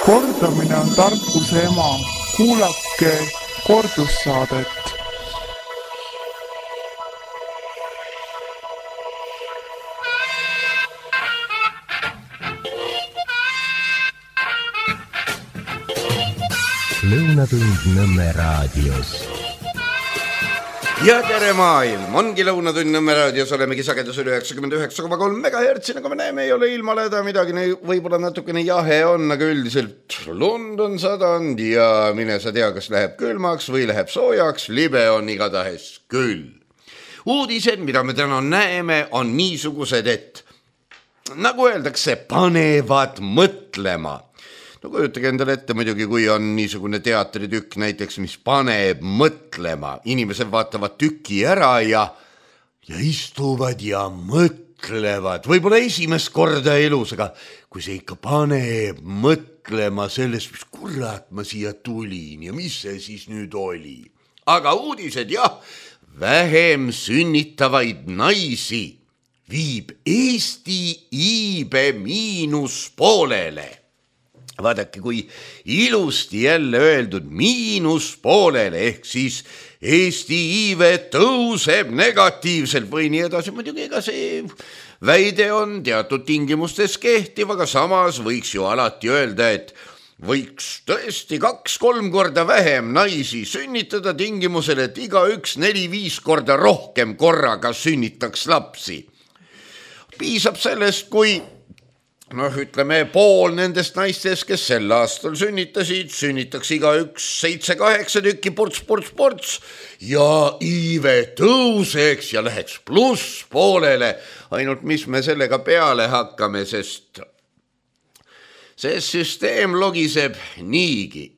Kordamine on tarkuse ema. Kuulake kordussaadet. Lõunatund Nõmme raadios. Ja tere maailm, ongi Lõunatund Nõmme raadios, olemegi sagedusel 99,3 MHz, nagu me näeme, ei ole ilmaleda midagi, võib-olla natukene jahe on, aga üldiselt lund on sadanud ja mine sa tea, kas läheb külmaks või läheb soojaks, libe on igatahes küll. Uudised, mida me täna näeme, on niisugused, et nagu öeldakse, panevad mõtlema. No kujutage endale ette muidugi, kui on niisugune teatritükk näiteks, mis paneb mõtlema. Inimesed vaatavad tüki ära ja istuvad ja mõtlevad. Võib-olla esimest korda elus, aga kui see ikka paneb mõtlema sellest, mis kurat ma siia tulin ja mis see siis nüüd oli. Aga uudised, jah, vähem sünnitavaid naisi viib Eesti iibe miinuspoolele. Vaadake, kui ilusti jälle öeldud miinuspoolele, ehk siis Eesti iive tõuseb negatiivselt või nii edasi. Muidugi ega see väide on teatud tingimustes kehtiv, aga samas võiks ju alati öelda, et võiks tõesti 2-3 korda vähem naisi sünnitada tingimusel, et igaüks 4-5 korda rohkem korraga sünnitaks lapsi. Piisab sellest, kui ütleme, pool nendest naistest, kes sel aastal sünnitaks igaüks 7-8 tükki ports ja iive tõuseks ja läheks pluss poolele. Ainult mis me sellega peale hakkame, sest see süsteem logiseb niigi.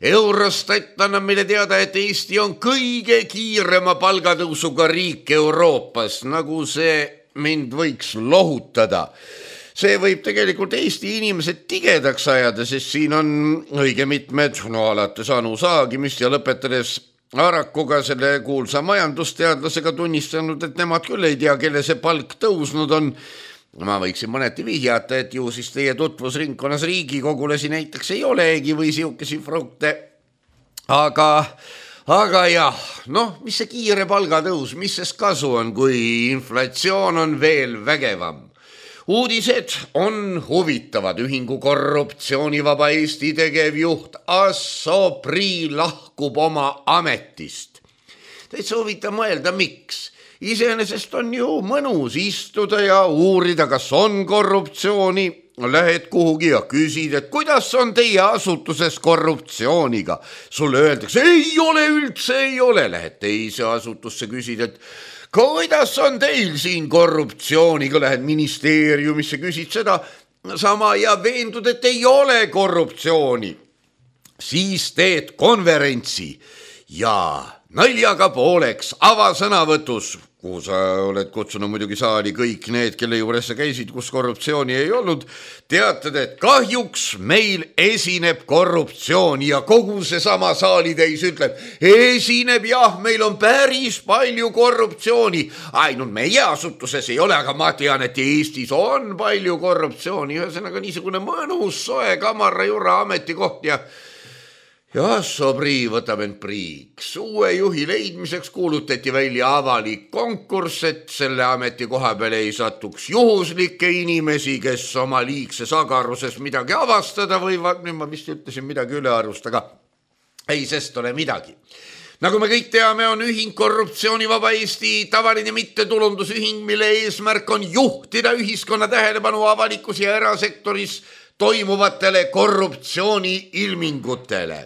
Eurostat annab meile teada, et Eesti on kõige kiirema palgatõusuga riik Euroopas, nagu see mind võiks lohutada. See võib tegelikult Eesti inimesed tigedaks ajada, sest siin on õige mitmed, alates Anu Saagimist ja lõpetades Arakuga, selle kuulsa majandusteadlasega tunnistanud, et nemad küll ei tea, kelle see palk tõusnud on. Ma võiksin mõneti vihjata, et ju siis teie tutvusringkonnas riigikogulasi näiteks ei olegi või siukesi frukte. Aga jah, mis see kiire palgatõus, mis sest kasu on, kui inflatsioon on veel vägevam? Uudised on huvitavad. Ühingu korruptsioonivaba Eesti tegevjuht Asso Prii lahkub oma ametist. Täitsa huvitav mõelda, miks? Iseenesest on ju mõnus istuda ja uurida, kas on korruptsiooni. Lähed kuhugi ja küsid, et kuidas on teie asutuses korruptsiooniga. Sulle öeldakse, ei ole üldse, ei ole. Lähed teise asutusse, küsid, et kuidas on teil siin korruptsiooniga, lähed ministeeriumisse, küsid seda sama ja veendud, et ei ole korruptsiooni. Siis teed konverentsi ja naljaga pooleks avasõnavõtus, kuhu sa oled kutsunud muidugi saali kõik need, kelle juures sa käisid, kus korruptsiooni ei olnud, teatad, et kahjuks meil esineb korruptsiooni ja kogu see sama saalitäis ütleb, esineb jah, meil on päris palju korruptsiooni, ainult meie asutuses ei ole, aga ma tean, et Eestis on palju korruptsiooni, ühesõnaga niisugune mõnus soe kamara jura ametikoht ja Asso Prii võtab end priiks. Uue juhi leidmiseks kuulutati välja avalik konkurss, et selle ametikoha peale ei satuks juhuslikke inimesi, kes oma liigses agaruses midagi avastada võivad. Nüüd ma vist ütlesin midagi ülearust, aga ei sest ole midagi. Nagu me kõik teame, on ühing Korruptsioonivaba Eesti tavaline mittetulundusühing, mille eesmärk on juhtida ühiskonna tähelepanu avalikus ja erasektoris toimuvatele korruptsiooni ilmingutele.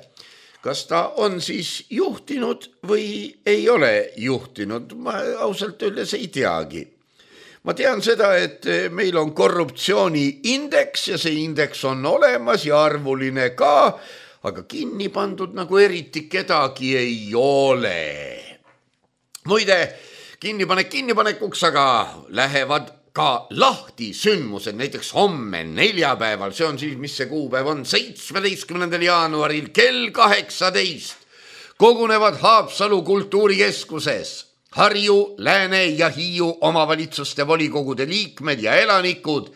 Kas ta on siis juhtinud või ei ole juhtinud? Ma ausalt öeldes ei teagi. Ma tean seda, et meil on korruptsiooniindeks ja see indeks on olemas ja arvuline ka, aga kinni pandud nagu eriti kedagi ei ole. Muide, kinnipanekuks aga lähevad ka lahti sündmused, näiteks homme neljapäeval, see on siis, mis see kuupäev on, 17. jaanuaril kell 18 kogunevad Haapsalu kultuurikeskuses Harju, Lääne ja Hiiu omavalitsuste volikogude liikmed ja elanikud,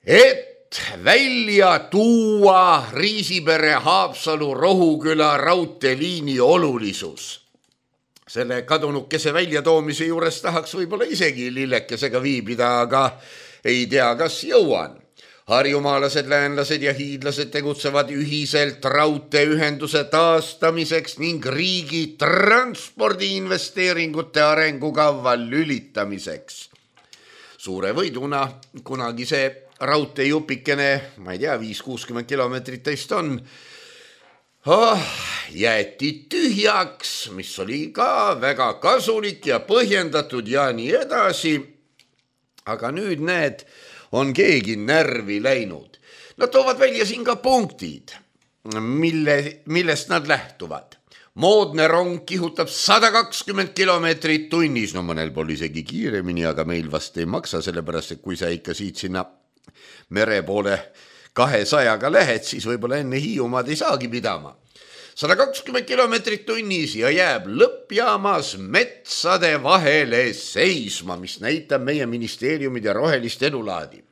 et et välja tuua Riisipere-Haapsalu Rohuküla raudteeliini olulisus. Selle kadunukese väljatoomise juures tahaks võib-olla isegi lillekesega viibida, aga ei tea, kas jõuan. Harjumaalased, läänlased ja hiidlased tegutsevad ühiselt raudteeühenduse taastamiseks ning riigi transpordiinvesteeringute arengukava lülitamiseks. Suure võiduna kunagi see raudteejupikene, ma ei tea, 5-60 kilomeetrit teist on, jäeti tühjaks, mis oli ka väga kasulik ja põhjendatud ja nii edasi. Aga nüüd need on keegi närvi läinud. Nad toovad välja siin ka punktid, millest nad lähtuvad. Moodne rong kihutab 120 kilomeetrit tunnis, no mõnel pool isegi kiiremini, aga meil vast ei maksa, sellepärast et kui sa ikka siit sinna mere poole 200-ga lähed, siis võib-olla enne Hiiumaad ei saagi pidama. 120 kilomeetrit tunnis ja jääb lõppjaamas metsade vahele seisma, mis näitab meie ministeeriumid ja rohelist edulaadi.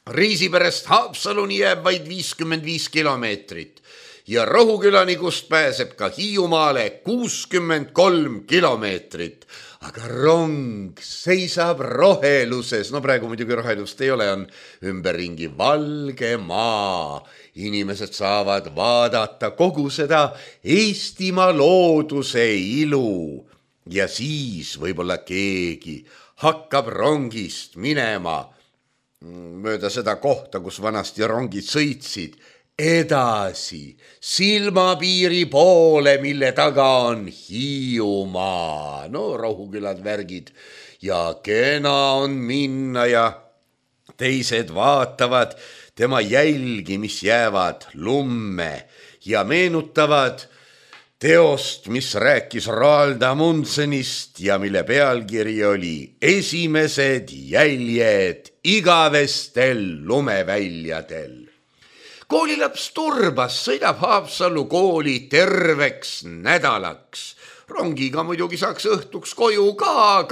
Riisiperest Haapsaluni jääb vaid 55 kilomeetrit ja Rohukülani, kust pääseb ka Hiiumaale 63 kilomeetrit. Aga rong seisab roheluses, no praegu muidugi rohelust ei ole, on ümberringi valge maa. Inimesed saavad vaadata kogu seda Eestimaa looduse ilu ja siis võib-olla keegi hakkab rongist minema mööda seda kohta, kus vanasti rongid sõitsid, edasi silmapiiri poole, mille taga on Hiiumaa. No Rohukülad värgid ja kena on minna ja teised vaatavad tema jälgi, mis jäävad lumme ja meenutavad teost, mis rääkis Roald Amundsenist ja mille pealkiri oli Esimesed jäljed igavestel lumeväljadel. Koolilaps Turbas sõidab Haapsallu kooli terveks nädalaks. Rongiga muidugi saaks õhtuks koju ka,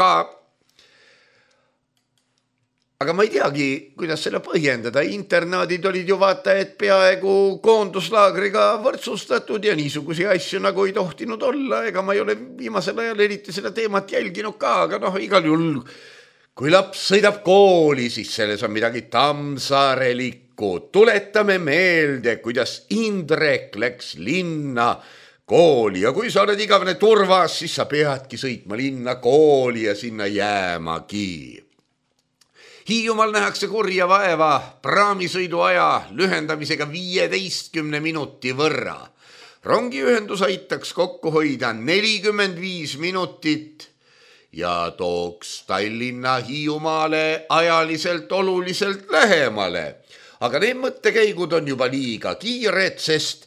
aga ma ei teagi, kuidas selle põhjendada. Internaadid olid ju vaata, et peaaegu koonduslaagriga võrdsustatud ja niisugusi asju nagu ei tohtinud olla. Ega ma ei ole viimasel ajal eriti seda teemat jälginud ka, aga igal juhul, kui laps sõidab kooli, siis selles on midagi tammsaarelikku. Tuletame meelde, kuidas Indrek läks linna kooli ja kui sa oled igavene Turvas, siis sa peadki sõitma linna kooli ja sinna jäämagi. Hiiumaal nähakse kurja vaeva praamisõidu aja lühendamisega 15 minuti võrra. Rongiühendus aitaks kokku hoida 45 minutit ja tooks Tallinna Hiiumaale ajaliselt oluliselt lähemale. Aga need mõttekäigud on juba liiga kiired, sest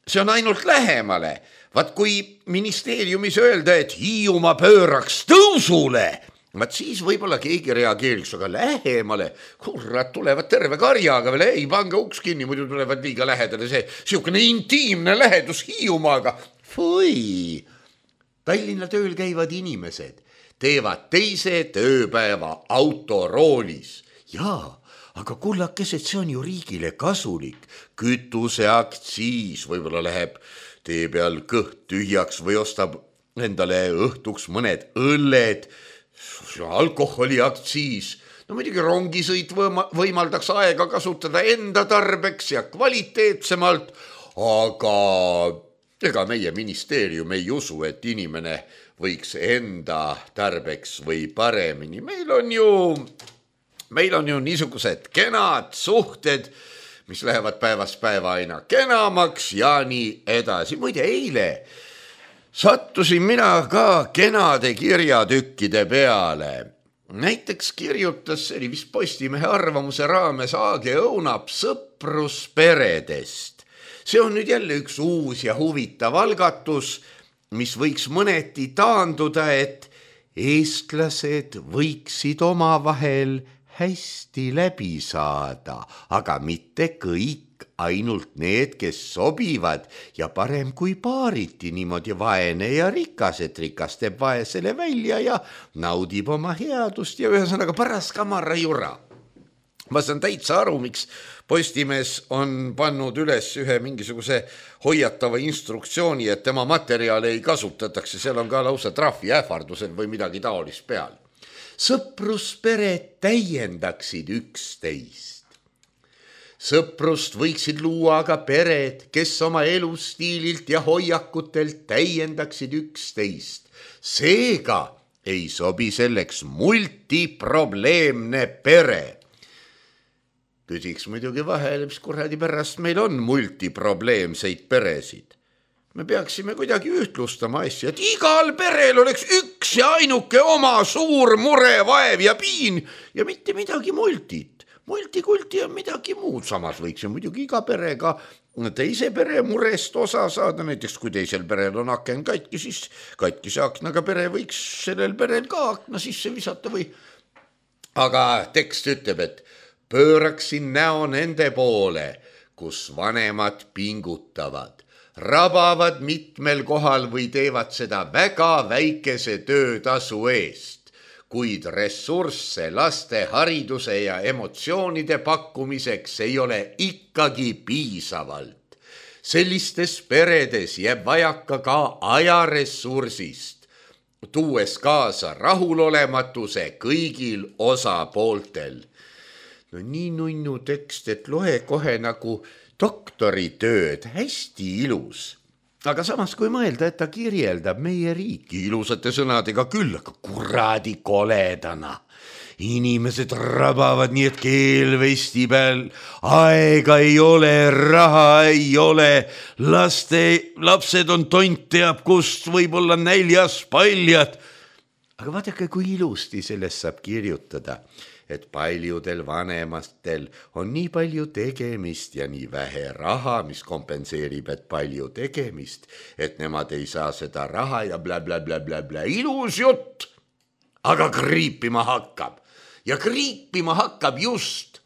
see on ainult lähemale. Vaat kui ministeeriumis öelda, et Hiiumaa pööraks tõusule, vaat siis võib-olla keegi reageeriks, aga lähemale, kurat, tulevad terve karjaga veel, ei pange uks kinni, muidu tulevad liiga lähedale see siukene intiimne lähedus Hiiumaaga. Fui! Tallinna tööl käivad inimesed teevad teise tööpäeva autoroolis. Jaa, aga kullakesed, see on ju riigile kasulik. Kütuseaktsiis võib-olla läheb tee peal kõht tühjaks või ostab endale õhtuks mõned õlled, alkoholiaktsiis. No muidugi rongisõit võimaldaks aega kasutada enda tarbeks ja kvaliteetsemalt, aga ega meie ministeerium ei usu, et inimene võiks enda tarbeks või paremini. Meil on ju niisugused kenad suhted, mis lähevad päevast päeva aina kenamaks ja nii edasi. Muide, eile sattusin mina ka kenade kirjatükkide peale. Näiteks kirjutas, see oli vist Postimehe arvamuse raames, Aage Õunap sõprusperedest. See on nüüd jälle üks uus ja huvitav algatus, mis võiks mõneti taanduda, et eestlased võiksid omavahel hästi läbi saada, aga mitte kõik, ainult need, kes sobivad ja parem kui paariti niimoodi vaene ja rikas, et rikas teeb vaesele välja ja naudib oma headust ja ühesõnaga paras kamara jura. ma saan täitsa aru, miks Postimees on pannud üles ühe mingisuguse hoiatava instruktsiooni, et tema materjale ei kasutatakse, seal on ka lausa trahvi ähvardused või midagi taolist peal. Sõpruspered täiendaksid üksteist. Sõprust võiksid luua aga pered, kes oma elustiililt ja hoiakutelt täiendaksid üksteist. Seega ei sobi selleks multiprobleemne pere. Küsiks muidugi vahel, mis kuradi pärast meil on multiprobleemseid peresid. Me peaksime kuidagi ühtlustama asja, et igal perel oleks üks ja ainuke oma suur mure, vaev ja piin ja mitte midagi multit. Multikulti on midagi muud, samas võiks ju muidugi iga perega teise pere murest osa saada, näiteks kui teisel perel on aken katki, siis katkise aknaga pere võiks sellel perel ka akna sisse visata või. Aga tekst ütleb, et pööraksin näo nende poole, kus vanemad pingutavad, rabavad mitmel kohal või teevad seda väga väikese töötasu eest, kuid ressursse laste hariduse ja emotsioonide pakkumiseks ei ole ikkagi piisavalt. Sellistes peredes jääb vajaka ka ajaressursist, tuues kaasa rahulolematuse kõigil osapooltel. No nii nunnu tekst, et loe kohe nagu doktoritööd, hästi ilus. Aga samas kui mõelda, et ta kirjeldab meie riiki ilusate sõnadega küll, aga kuradi koledana. Inimesed rabavad nii, et keelvesti peal, aega ei ole, raha ei ole, lapsed on tont teab kust, võib-olla näljas paljad. Aga vaadake, kui ilusti sellest saab kirjutada, et paljudel vanematel on nii palju tegemist ja nii vähe raha, mis kompenseerib, et palju tegemist, et nemad ei saa seda raha ja blablabla. Ilus jutt, aga kriipima hakkab. Ja kriipima hakkab just.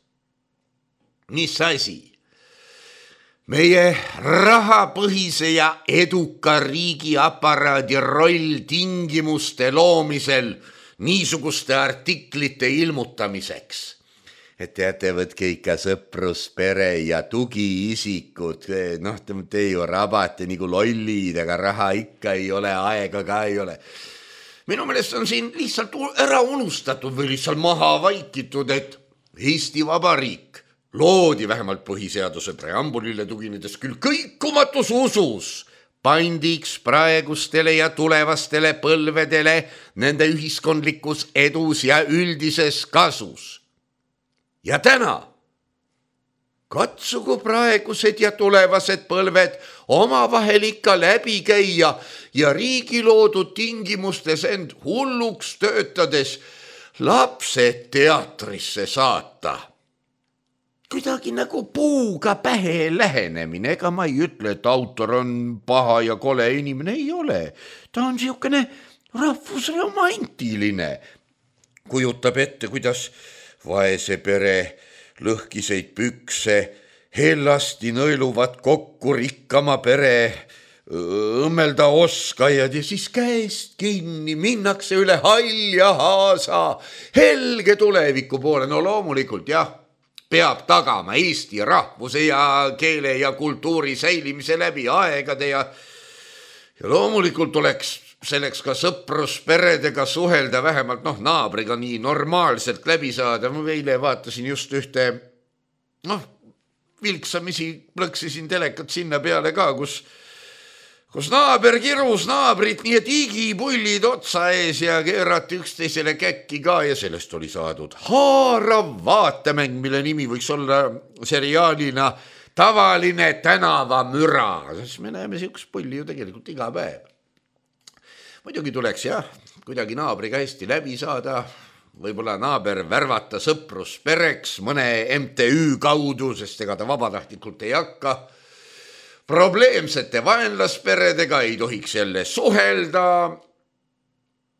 Mis asi? Meie rahapõhise ja eduka riigi aparaadi roll tingimuste loomisel niisuguste artiklite ilmutamiseks. Et teate, võtke ikka sõprus, pere ja tugiisikud. Noh, te ju rabate nagu lollid, aga raha ikka ei ole, aega ka ei ole. Minu meelest on siin lihtsalt ära unustatud või lihtsalt maha vaikitud, et Eesti Vabariik loodi vähemalt põhiseaduse preambulile tuginedes küll kõikumatus usus, pandiks praegustele ja tulevastele põlvedele nende ühiskondlikus edus ja üldises kasus. Ja täna katsugu praegused ja tulevased põlved omavahel ikka läbi käia ja riigi loodud tingimustes end hulluks töötades lapsed teatrisse saata. Kuidagi nagu puuga pähe lähenemine, ega ma ei ütle, et autor on paha ja kole inimene, ei ole. Ta on siukene rahvusromantiline. Kujutab ette, kuidas vaese pere lõhkiseid pükse hellasti nõeluvad kokku rikkama pere õmmelda oskajad ja siis käest kinni minnakse üle halja haasa helge tuleviku poole. No loomulikult jah, peab tagama Eesti rahvuse ja keele ja kultuuri säilimise läbi aegade ja loomulikult oleks selleks ka sõprusperedega suhelda, vähemalt naabriga nii normaalselt läbi saada. Ma eile vaatasin just ühte, vilksamisi plõksisin telekat sinna peale ka, kus naaber kirus naabrit, nii et igipullid otsa ees ja keerati üksteisele käkki ka ja sellest oli saadud haarav vaatemäng, mille nimi võiks olla seriaalina Tavaline tänavamüra. Siis me näeme siukest pulli ju tegelikult iga päev. Muidugi tuleks kuidagi naabriga hästi läbi saada, võib-olla naaber värvata sõpruspereks mõne MTÜ kaudu, sest ega ta vabatahtlikult ei hakka. Probleemsete vaenlasperedega ei tohiks jälle suhelda.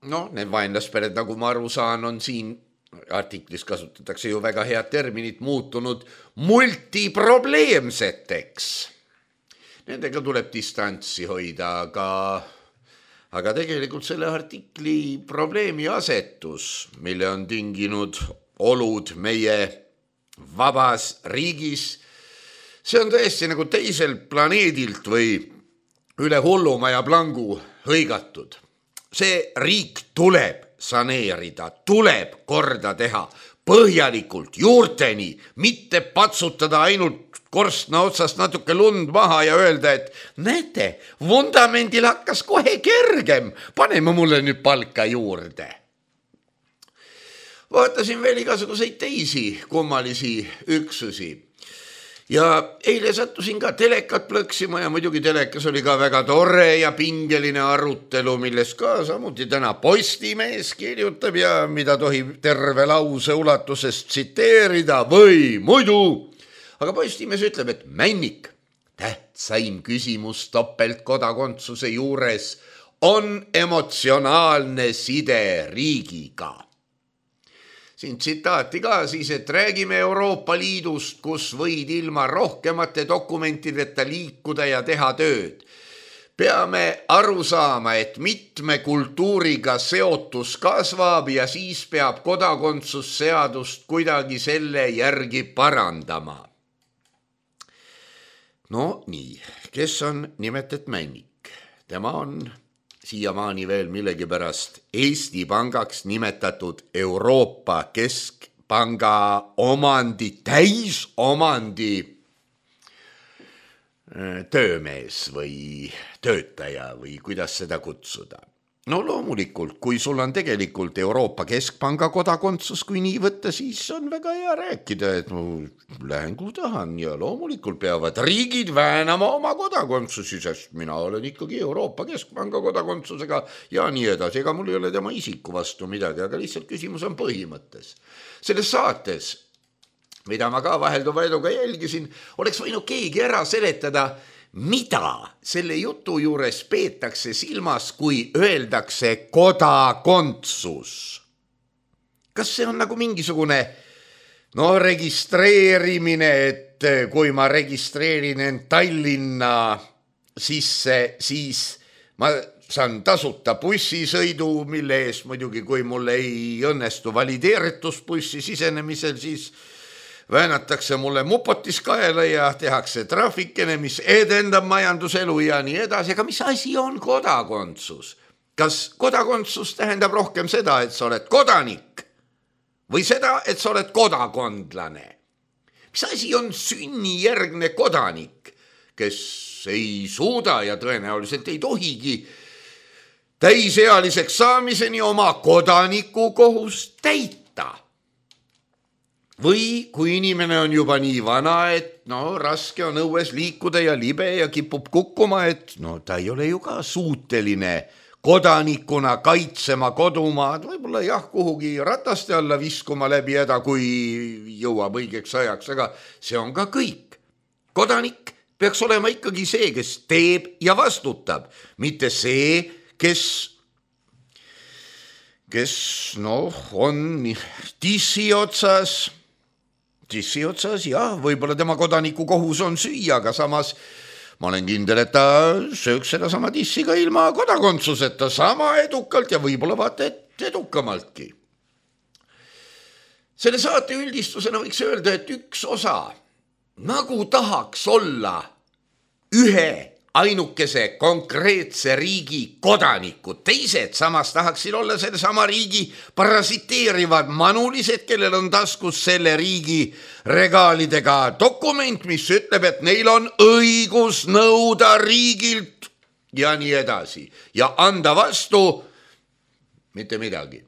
Need vaenlaspered, nagu ma aru saan, on siin artiklis kasutatakse ju väga head terminit muutunud multiprobleemseteks. Nendega tuleb distantsi hoida, aga tegelikult selle artikli probleemi asetus, mille on tinginud olud meie vabas riigis. See on tõesti nagu teisel planeedilt või üle hullumaja plangu hõigatud. See riik tuleb saneerida, tuleb korda teha põhjalikult juurteni, mitte patsutada ainult korstna otsast natuke lund maha ja öelda, et näete, vundamendil hakkas kohe kergem, paneme mulle nüüd palka juurde. Vaatasin veel igasuguseid teisi kummalisi üksusi ja eile sattusin ka telekat plõksima ja muidugi telekas oli ka väga tore ja pingeline arutelu, milles ka samuti täna Postimees kirjutab ja mida tohib terve lause ulatuses tsiteerida või muidu. Aga Postimees ütleb, et Männik, tähtsaim küsimus topeltkodakondsuse juures on emotsionaalne side riigiga. Siin tsitaati ka siis, et räägime Euroopa Liidust, kus võid ilma rohkemate dokumentideta liikuda ja teha tööd. Peame aru saama, et mitme kultuuriga seotus kasvab ja siis peab kodakondsusseadust kuidagi selle järgi parandama. No nii, kes on nimetet Männik? Tema on siiamaani veel millegipärast Eesti Pangaks nimetatud Euroopa Keskpanga täisomandi töömees või töötaja või kuidas seda kutsuda. No loomulikult, kui sul on tegelikult Euroopa Keskpanga kodakondsus, kui nii võtta, siis on väga hea rääkida, et lähen kuhu tahan ja loomulikult peavad riigid väänama oma kodakondsusi, sest mina olen ikkagi Euroopa Keskpanga kodakondsusega ja nii edasi. Ega mul ei ole tema isiku vastu midagi, aga lihtsalt küsimus on põhimõttes. Selles saates, mida ma ka vahelduva eduga jälgisin, oleks võinud keegi ära seletada, mida selle jutu juures peetakse silmas, kui öeldakse kodakondsus. Kas see on nagu mingisugune registreerimine, et kui ma registreerin end Tallinna sisse, siis ma saan tasuta bussisõidu, mille eest muidugi, kui mul ei õnnestu valideeritusbussi sisenemisel, siis väänatakse mulle mupotis kaela ja tehakse trahvikene, mis edendab majanduselu ja nii edasi. Aga mis asi on kodakondsus? Kas kodakondsus tähendab rohkem seda, et sa oled kodanik või seda, et sa oled kodakondlane? Mis asi on sünnijärgne kodanik, kes ei suuda ja tõenäoliselt ei tohigi täisealiseks saamiseni oma kodanikukohust täita? Või kui inimene on juba nii vana, et raske on õues liikuda ja libe ja kipub kukkuma, et ta ei ole ju ka suuteline kodanikuna kaitsema kodumaad, võib-olla kuhugi rataste alla viskuma läbi häda, kui jõuab õigeks ajaks, aga see on ka kõik. Kodanik peaks olema ikkagi see, kes teeb ja vastutab, mitte see, kes on tissi otsas, jah, võib-olla tema kodaniku kohus on süüa, aga samas ma olen kindel, et ta sööks seda sama tissi ka ilma kodakondsuseta sama edukalt ja võib-olla vaata et edukamaltki. Selle saate üldistusena võiks öelda, et üks osa nagu tahaks olla ühe ainukese konkreetse riigi kodanikud, teised samas tahaksid olla selle sama riigi parasiteerivad manulised, kellel on taskus selle riigi regaalidega dokument, mis ütleb, et neil on õigus nõuda riigilt ja nii edasi ja anda vastu mitte midagi.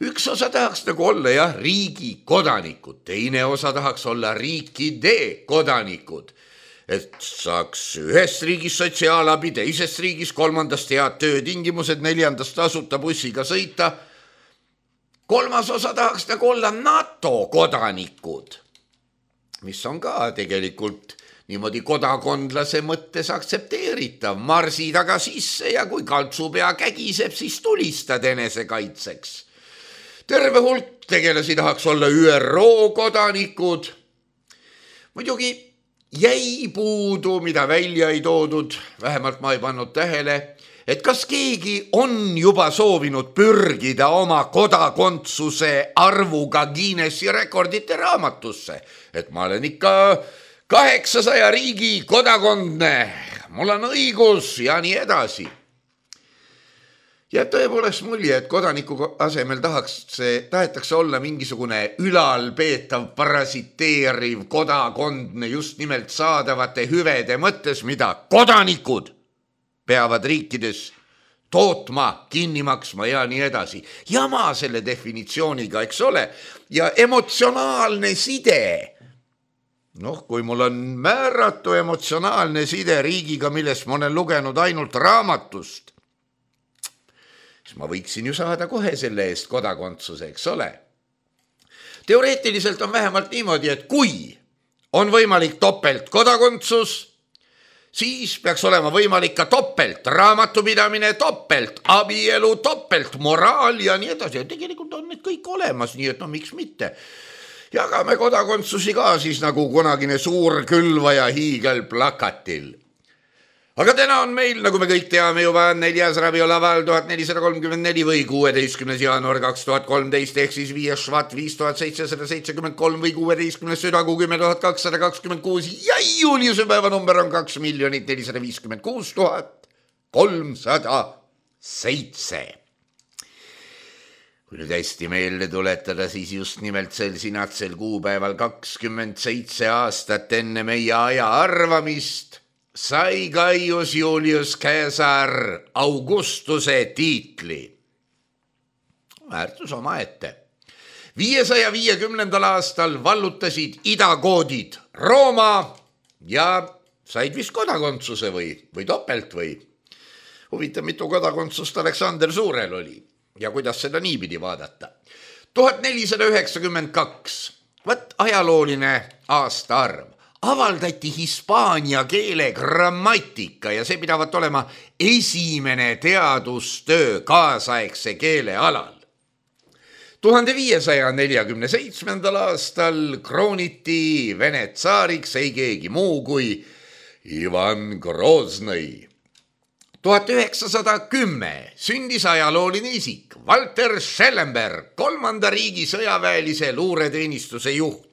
Üks osa tahaks nagu olla riigi kodanikud, teine osa tahaks olla riikide kodanikud, et saaks ühest riigis sotsiaalabi, teisest riigis, kolmandast head töötingimused, neljandast tasuta bussiga sõita. Kolmas osa tahaks nagu olla NATO kodanikud, mis on ka tegelikult niimoodi kodakondlase mõttes aktsepteeritav. Marsi taga sisse ja kui kaltsupea kägiseb, siis tulistad enesekaitseks. Terve hulk tegelasi tahaks olla ÜRO kodanikud. Muidugi jäi puudu, mida välja ei toodud, vähemalt ma ei pannud tähele, et kas keegi on juba soovinud pürgida oma kodakondsuse arvuga Guinessi rekordite raamatusse, et ma olen ikka 800 riigi kodakondne, mul on õigus ja nii edasi. Ja tõepoolest mulje, et kodaniku asemel tahetakse olla mingisugune ülalpeetav, parasiteeriv kodakondne just nimelt saadavate hüvede mõttes, mida kodanikud peavad riikides tootma, kinni maksma ja nii edasi. Jama selle definitsiooniga, eks ole, ja emotsionaalne side. Kui mul on määratu emotsionaalne side riigiga, millest ma olen lugenud ainult raamatust, siis ma võiksin ju saada kohe selle eest kodakondsuse, eks ole. Teoreetiliselt on vähemalt niimoodi, et kui on võimalik topelt kodakondsus, siis peaks olema võimalik ka topelt raamatupidamine, topelt abielu, topelt moraal ja nii edasi. Ja tegelikult on need kõik olemas, nii et miks mitte. Jagame kodakondsusi ka siis nagu kunagine suur külvaja hiigelplakatil. Aga täna on meil, nagu me kõik teame juba, 4. rabiolaval 1434 või 16. jaanuar 2013 ehk siis 5. švat 5773 või 16. südakuu 10226 ja juuliuse päeva number on 2 456 307. Kui nüüd hästi meelde tuletada, siis just nimelt sel sinatsel kuupäeval 27 aastat enne meie aja arvamist sai Gaius Julius Caesar Augustuse tiitli. Väärtus omaette. 550. aastal vallutasid idakoodid Rooma ja said vist kodakondsuse või topelt või. Huvitav, mitu kodakondsust Aleksander Suurel oli ja kuidas seda niipidi vaadata. 1492, võt ajalooline aastaarv. Avaldati hispaania keele grammatika ja see pidavat olema esimene teadustöö kaasaegse keele alal. 1547. aastal krooniti Vene tsaariks ei keegi muu kui Ivan Groznõi. 1910 sündis ajalooline isik Walter Schellenberg, 3. riigi sõjaväelise luureteenistuse juht.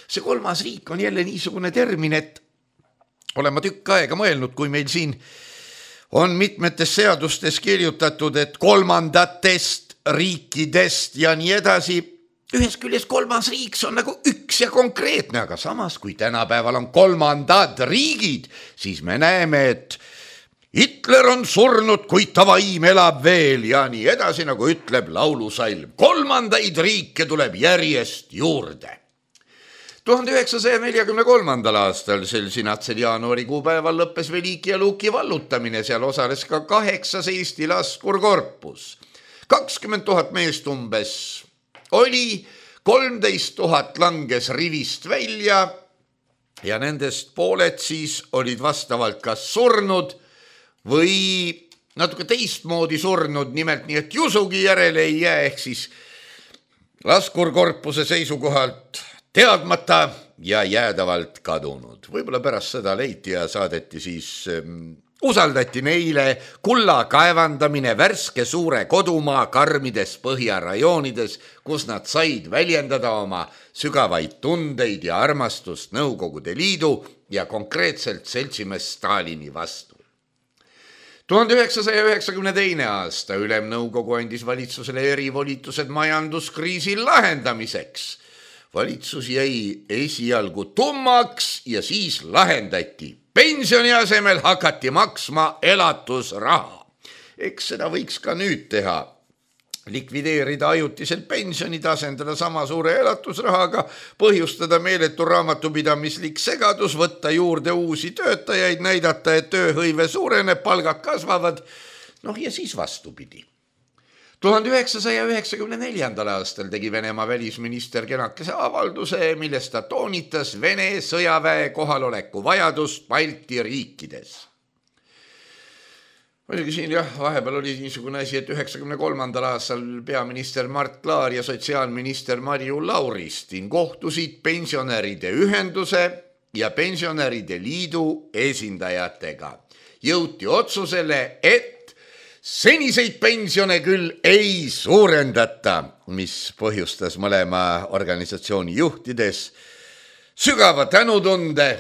See 3. riik on jälle niisugune termin, et olen ma tükk aega mõelnud, kui meil siin on mitmetes seadustes kirjutatud, et 3. riikidest ja nii edasi. Ühest küljest 3. riik on nagu üks ja konkreetne, aga samas kui tänapäeval on 3. riigid, siis me näeme, et Hitler on surnud, kuid ta vaim elab veel ja nii edasi, nagu ütleb laulusalm. 3. riike tuleb järjest juurde. 1943. aastal sel sinatsel jaanuari kuupäeval lõppes Veliki ja Luki vallutamine, seal osales ka 8 Eesti laskurkorpus. 20 000 meest umbes oli, 13 000 langes rivist välja ja nendest pooled siis olid vastavalt kas surnud või natuke teistmoodi surnud, nimelt nii, et jusugi järele ei jää, ehk siis laskurkorpuse seisukohalt teadmata ja jäädavalt kadunud. Võib-olla pärast seda leiti ja saadeti siis, usaldati neile kulla kaevandamine värske suure kodumaa karmides põhjarajoonides, kus nad said väljendada oma sügavaid tundeid ja armastust Nõukogude Liidu ja konkreetselt seltsimees Stalini vastu. 1992. aasta Ülemnõukogu andis valitsusele erivolitused majanduskriisi lahendamiseks. Valitsus jäi esialgu tummaks ja siis lahendati. Pensioni asemel hakati maksma elatusraha. Eks seda võiks ka nüüd teha. Likvideerida ajutiselt pensionid, asendada sama suure elatusrahaga, põhjustada meeletu raamatupidamislik segadus, võtta juurde uusi töötajaid, näidata, et tööhõive suureneb, palgad kasvavad, ja siis vastupidi. 1994. aastal tegi Venemaa välisminister kenakese avalduse, milles ta toonitas Vene sõjaväe kohaloleku vajadust Balti riikides. Muidugi siin vahepeal oli niisugune asi, et 1993. aastal peaminister Mart Laar ja sotsiaalminister Marju Lauristin kohtusid pensionäride ühenduse ja pensionäride liidu esindajatega. Jõuti otsusele, et seniseid pensione küll ei suurendata, mis põhjustas mõlema organisatsiooni juhtides sügava tänutunde.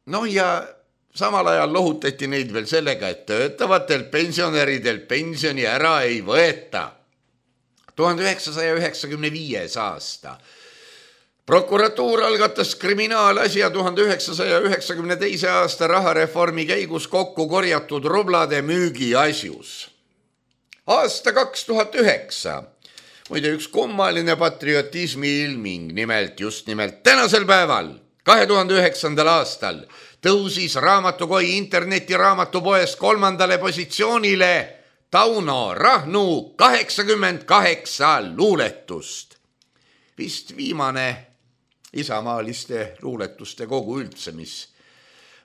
No ja samal ajal lohutati neid veel sellega, et töötavatel pensionäridel pensioni ära ei võeta. 1995. aasta. Prokuratuur algatas kriminaalasja 1992. aasta rahareformi käigus kokku korjatud rublade müügi asjus. Aasta 2009. Muide üks kummaline patriotismi ilming, just nimelt tänasel päeval, 2009. aastal tõusis raamatukoi internetiraamatupoes 3. positsioonile Tauno Rahnu 88 luuletust. Vist viimane isamaaliste luuletuste kogu üldse, mis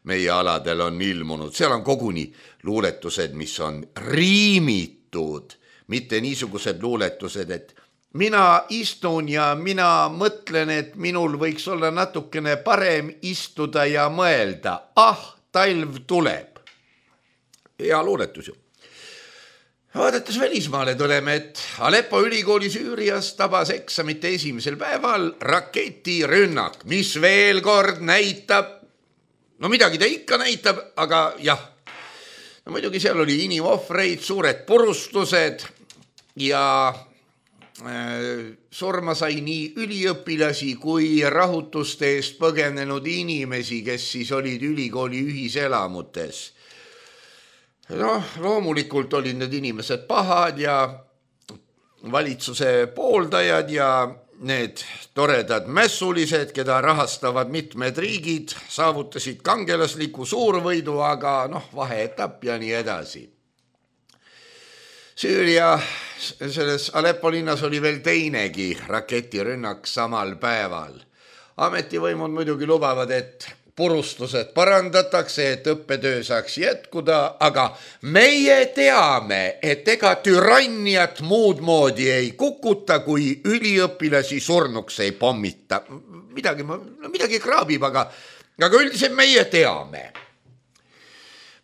meie aladel on ilmunud. Seal on koguni luuletused, mis on riimitud, mitte niisugused luuletused, et mina istun ja mina mõtlen, et minul võiks olla natukene parem istuda ja mõelda. Talv tuleb. Hea luuletus ju. Vaadates välismaale tuleme, et Aleppo ülikooli Süürias tabas eksamite esimesel päeval raketirünnak, mis veel kord näitab, no midagi ta ikka näitab, aga jah, no muidugi seal oli inimohvreid, suured purustused ja surma sai nii üliõpilasi kui rahutuste eest põgenenud inimesi, kes siis olid ülikooli ühiselamutes. Loomulikult olid need inimesed pahad ja valitsuse pooldajad ja need toredad mässulised, keda rahastavad mitmed riigid, saavutasid kangelasliku suurvõidu, aga vaheetapp ja nii edasi. Süüria selles Aleppo linnas oli veel teinegi raketirünnak samal päeval. Ametivõimud muidugi lubavad, et purustused parandatakse, et õppetöö saaks jätkuda, aga meie teame, et ega türanniat muud moodi ei kukuta, kui üliõpilasi surnuks ei pommita. Midagi kraabib, aga üldiselt meie teame.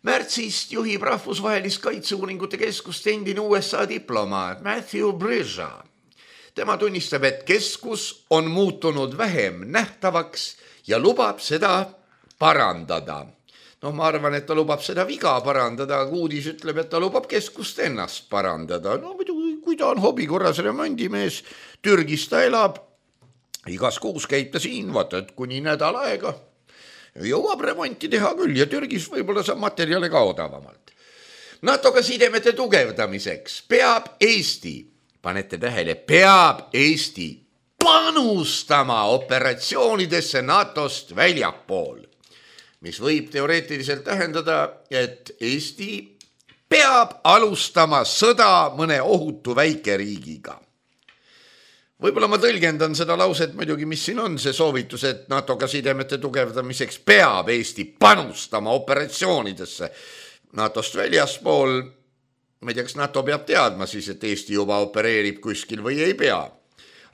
Märtsist juhib rahvusvahelist kaitseuuringute keskust endine USA diplomaat Matthew Bridger. Tema tunnistab, et keskus on muutunud vähem nähtavaks ja lubab seda parandada. Ma arvan, et ta lubab seda viga parandada, aga uudis ütleb, et ta lubab keskust ennast parandada. Kui ta on hobikorras remondimees, Türgis ta elab, igas kuus käib ta siin, vaata, et kuni nädal aega jõuab remonti teha küll ja Türgis võib-olla saab materjale ka odavamalt. NATO-ga sidemete tugevdamiseks peab Eesti, panete tähele, peab Eesti panustama operatsioonidesse NATO-st väljapool, mis võib teoreetiliselt tähendada, et Eesti peab alustama sõda mõne ohutu väikeriigiga. Võib-olla ma tõlgendan seda lauset muidugi, mis siin on see soovitus, et NATO-ga sidemete tugevdamiseks peab Eesti panustama operatsioonidesse NATO-st väljaspool. Ma ei tea, kas NATO peab teadma siis, et Eesti juba opereerib kuskil või ei pea.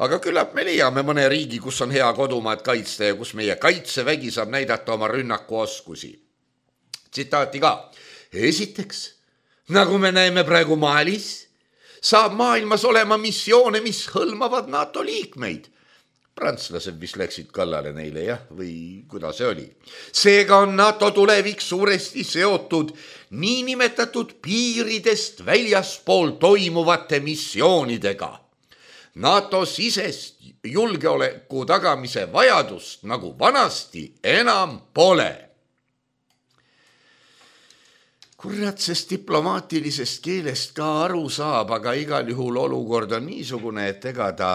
Aga küllap me leiame mõne riigi, kus on hea kodumaad kaitsta ja kus meie kaitsevägi saab näidata oma rünnakuoskusi. Tsitaati ka. Esiteks, nagu me näeme praegu Malis, saab maailmas olema missioone, mis hõlmavad NATO liikmeid. Prantslased, mis läksid kallale neile, jah, või kuidas see oli. Seega on NATO tulevik suuresti seotud niinimetatud piiridest väljaspool toimuvate missioonidega. NATO sisest julgeoleku tagamise vajadust nagu vanasti enam pole. Kurat, sest diplomaatilisest keelest ka aru saab, aga igal juhul olukord on niisugune, et ega ta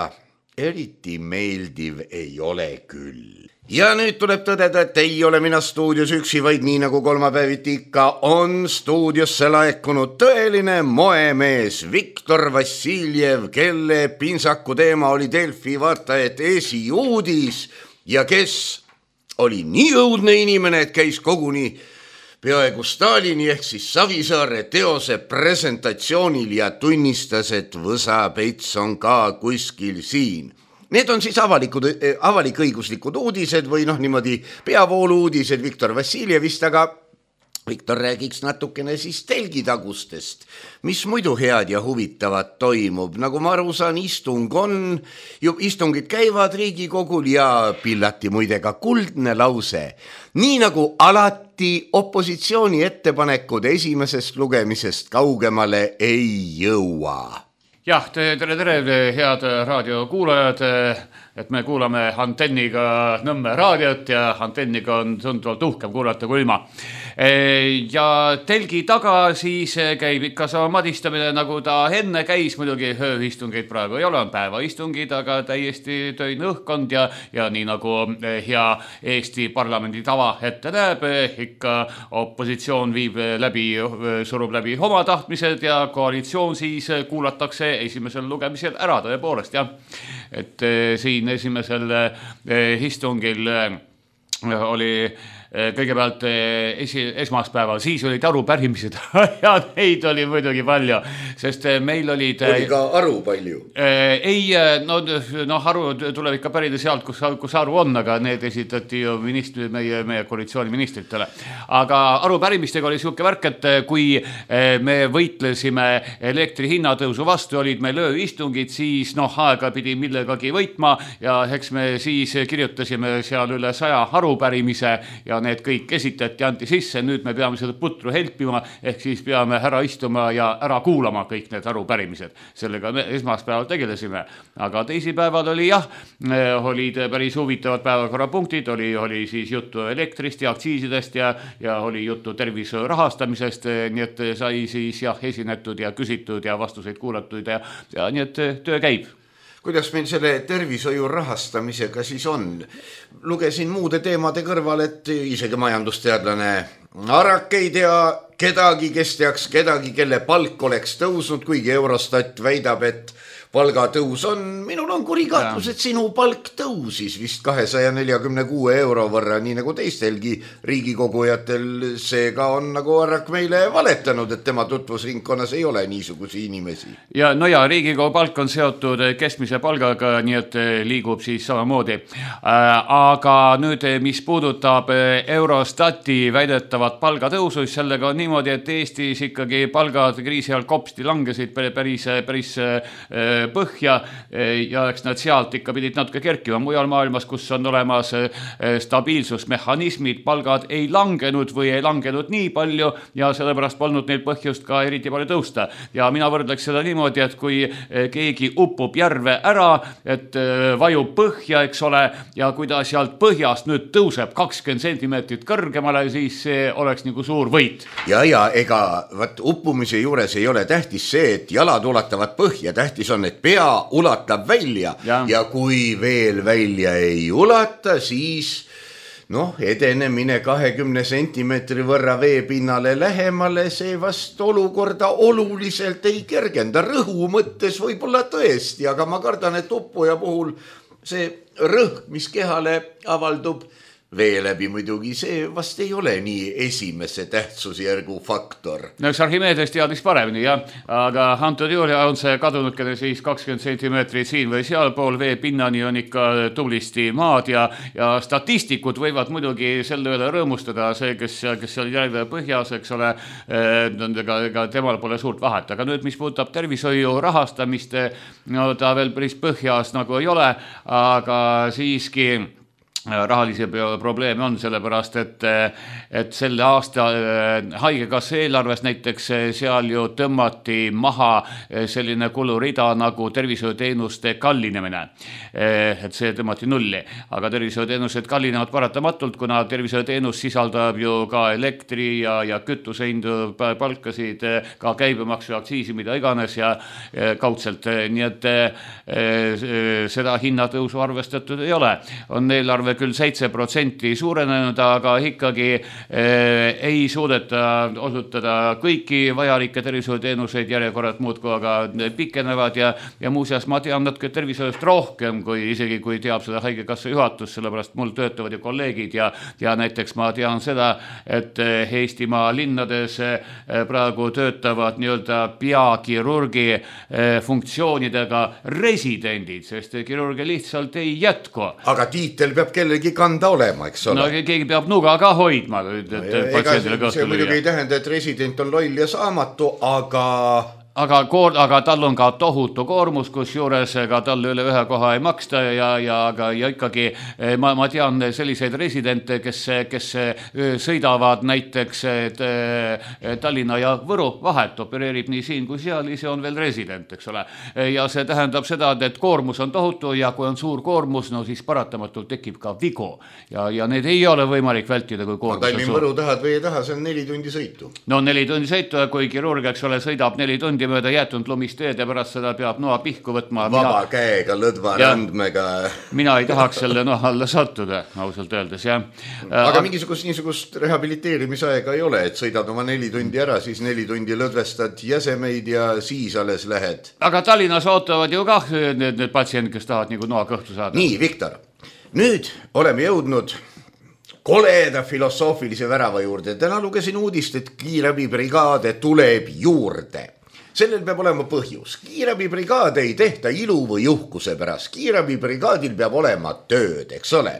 eriti meeldiv ei ole küll. Ja nüüd tuleb tõdeda, et ei ole mina stuudios üksi, vaid nii nagu kolmapäeviti ikka on stuudiosse laekunud tõeline moemees Viktor Vassiljev, kelle pintsaku teema oli Delfi vaatajaid esiuudis ja kes oli nii õudne inimene, et käis koguni peaaegu Stalini ehk siis Savisaare teose presentatsioonil ja tunnistas, et võsapets on ka kuskil siin. Need on siis avalik-õiguslikud uudised või niimoodi peavoolu uudised Viktor Vassiljevist, aga Viktor, räägiks natukene siis telgitagustest, mis muidu head ja huvitavat toimub. Nagu ma aru saan, istungid käivad Riigikogul ja pillati muide ka kuldne lause. Nii nagu alati opositsiooni ettepanekud esimesest lugemisest kaugemale ei jõua. Jah, tere, head raadiokuulajad, et me kuulame antenniga Nõmme raadiot ja antenniga on tunduvalt uhkem kuulata kui ilma. Ja telgi taga siis käib ikka sama madistamine, nagu ta enne käis, muidugi ööistungeid praegu ei ole, on päevaistungid, aga täiesti töine õhkkond ja nii nagu hea Eesti parlamendi tava ette näeb, ikka opositsioon surub läbi oma tahtmised ja koalitsioon siis kuulatakse esimesel lugemisel ära tõepoolest, jah. Et siin esimesel istungil oli kõigepealt esmaspäeval, siis olid arupärimised ja neid oli muidugi palju, sest meil olid... Oli ka aru palju? Ei, aru tuleb ikka pärida sealt, kus aru on, aga need esitati ju meie koalitsiooni ministritele. Aga arupärimistega oli siuke värk, et kui me võitlesime elektri hinnatõusu vastu, olid meil ööistungid, siis aega pidi millegagi võitma ja eks me siis kirjutasime seal üle 100 arupärimise ja need kõik esitati, anti sisse, nüüd me peame seda putru helpima, ehk siis peame ära istuma ja ära kuulama kõik need arupärimised. Sellega me esmaspäeval tegelesime, aga teisipäeval oli olid päris huvitavad päevakorrapunktid, oli siis juttu elektrist ja aktsiisidest ja oli juttu tervishoiu rahastamisest, nii et sai siis esinetud ja küsitud ja vastuseid kuulatud ja nii et töö käib. Kuidas meil selle tervishoiu rahastamisega siis on? Lugesin muude teemade kõrval, et isegi majandusteadlane Arak ei tea kedagi, kes teaks kedagi, kelle palk oleks tõusnud, kuigi Eurostat väidab, et palgatõus on. Minul on kurikaatlus, et sinu palk tõusis vist 246 euro võrra, nii nagu teistelgi riigikogujatel. Seega on nagu Arak meile valetanud, et tema tutvusringkonnas ei ole niisugusi inimesi. Ja Riigikogu palk on seotud keskmise palgaga, nii et liigub siis samamoodi. Aga nüüd, mis puudutab Eurostati väidetavat palgatõusu, sellega on niimoodi, et Eestis ikkagi palgad kriisi ajal kopsti langesid päris põhja ja eks nad sealt ikka pidid natuke kerkima. Mujal maailmas, kus on olemas stabiilsusmehhanismid, palgad ei langenud või ei langenud nii palju ja sellepärast polnud neil põhjust ka eriti palju tõusta. Ja mina võrdleks seda niimoodi, et kui keegi upub järve ära, et vajub põhja, eks ole, ja kui ta sealt põhjast nüüd tõuseb 20 sentimeetrit kõrgemale, siis see oleks nagu suur võit. Ja ega uppumise juures ei ole tähtis see, et jalad ulatavad põhja, tähtis on, et pea ulatab välja ja kui veel välja ei ulata, siis edenemine 20 sentimeetri võrra veepinnale lähemale, see vast olukorda oluliselt ei kergenda. Rõhu mõttes võib-olla tõesti, aga ma kardan, et uppuja puhul see rõhk, mis kehale avaldub vee läbi muidugi, see vast ei ole nii esimese tähtsusjärgu faktor. Eks Archimedes teadis paremini, aga antud juhul on see kadunudkene siis 20 sentimeetrit siin või sealpool, vee pinnani on ikka tublisti maad ja statistikud võivad muidugi selle üle rõõmustada, see, kes oli järve põhjas, eks ole, ega temal pole suurt vahet. Aga nüüd, mis puudutab tervishoiu rahastamist, ta veel päris põhjas nagu ei ole, aga siiski rahalisi probleeme on sellepärast, et selle aasta haigekassa eelarves näiteks seal ju tõmmati maha selline kulurida nagu tervishoiuteenuste kallinemine. Et see tõmmati nulli, aga tervishoiuteenused kallinevad paratamatult, kuna tervishoiuteenus sisaldab ju ka elektri ja kütusehindu, palkasid, ka käibemaksu ja aktsiisi, mida iganes ja kaudselt. Nii et seda hinnatõusu arvestatud ei ole. On eelarve küll 7% suurenenud, aga ikkagi ei suudeta osutada kõiki vajalikke tervishoiuteenuseid, järjekorrad muudkui aga pikenevad ja muuseas ma tean natuke tervishoiust rohkem, isegi kui teab seda haigekassa juhatus, sellepärast mul töötavad ju kolleegid ja näiteks ma tean seda, et Eestimaa linnades praegu töötavad nii-öelda peakirurgi funktsioonidega residendid, sest kirurgi lihtsalt ei jätku. Aga tiitel peab kellelgi kanda olema, eks ole. No keegi peab nuga ka hoidma, et patsiendile kõhtu see muidugi ei tähenda, et resident on loll ja saamatu, aga tal on ka tohutu koormus, kus juures ka talle üle ühe koha ei maksta ja ikkagi ma tean selliseid residente, kes sõidavad näiteks Tallinna ja Võru vahet, opereerib nii siin kui seal, ise on veel resident, eks ole. Ja see tähendab seda, et koormus on tohutu ja kui on suur koormus, no siis paratamatult tekib ka vigu ja need ei ole võimalik vältida, kui koormus on suur. Võru tahad või ei taha, see on 4 tundi sõitu. No 4 tundi sõitu ja kui kirurg, eks ole, sõidab 4 tundi mööda jäetud lumisteed ja pärast seda peab noa pihku võtma. Vaba käega, lõdva randmega. Mina ei tahaks selle noa alla sattuda, ausalt öeldes, jah. Aga niisugust rehabiliteerimisaega ei ole, et sõidad oma 4 tundi ära, siis 4 tundi lõdvestad jäsemeid ja siis alles lähed. Aga Tallinnas ootavad ju kah need patsiendid, kes tahavad nagu noa kõhtu saada. Nii, Viktor, nüüd oleme jõudnud koleda filosoofilise värava juurde. Täna lugesin uudist, et kiirabibrigaade tuleb juurde. Sellel peab olema põhjus. Kiirabibrigaade ei tehta ilu või uhkuse pärast. Kiirabibrigaadil peab olema tööd, eks ole.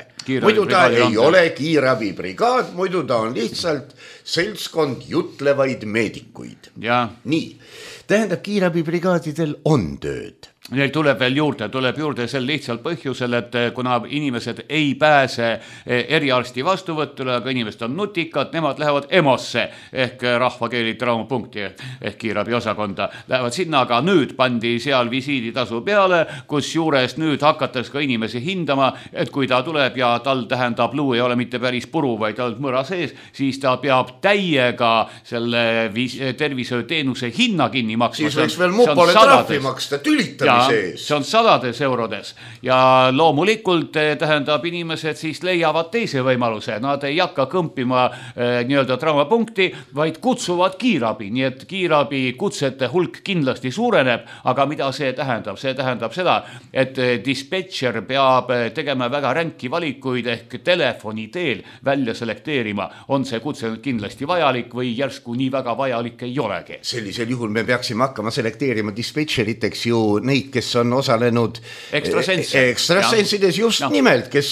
Muidu ta ei ole kiirabibrigaad, muidu ta on lihtsalt seltskond jutlevaid meedikuid. Ja. Nii, tähendab, kiirabibrigaadidel on tööd. Neil tuleb veel juurde sel lihtsalt põhjusel, et kuna inimesed ei pääse eriarsti vastuvõttule, aga inimesed on nutikad, nemad lähevad EMO-sse ehk rahvakeeli traumapunkti ehk kiirabi osakonda. Lähevad sinna, aga nüüd pandi seal visiiditasu peale, kus juures nüüd hakatakse ka inimesi hindama, et kui ta tuleb ja tal tähendab luu ei ole mitte päris puru, vaid tal mõra sees, siis ta peab täiega selle tervishoiuteenuse hinna kinni maksma. Siis võiks veel mupole trahvi maksta, tülitamiseks. See on 100 eurodes ja loomulikult tähendab inimesed siis leiavad teise võimaluse. Nad ei hakka kõmpima nii-öelda traumapunkti, vaid kutsuvad kiirabi. Nii et kiirabi kutsete hulk kindlasti suureneb, aga mida see tähendab? See tähendab seda, et dispetšer peab tegema väga ränki valikuid ehk telefoni teel välja selekteerima. On see kutse kindlasti vajalik või järsku nii väga vajalik ei olegi? Sellisel juhul me peaksime hakkama selekteerima dispetšeriteks ju neid, kes on osalenud ekstrasensides just nimelt, kes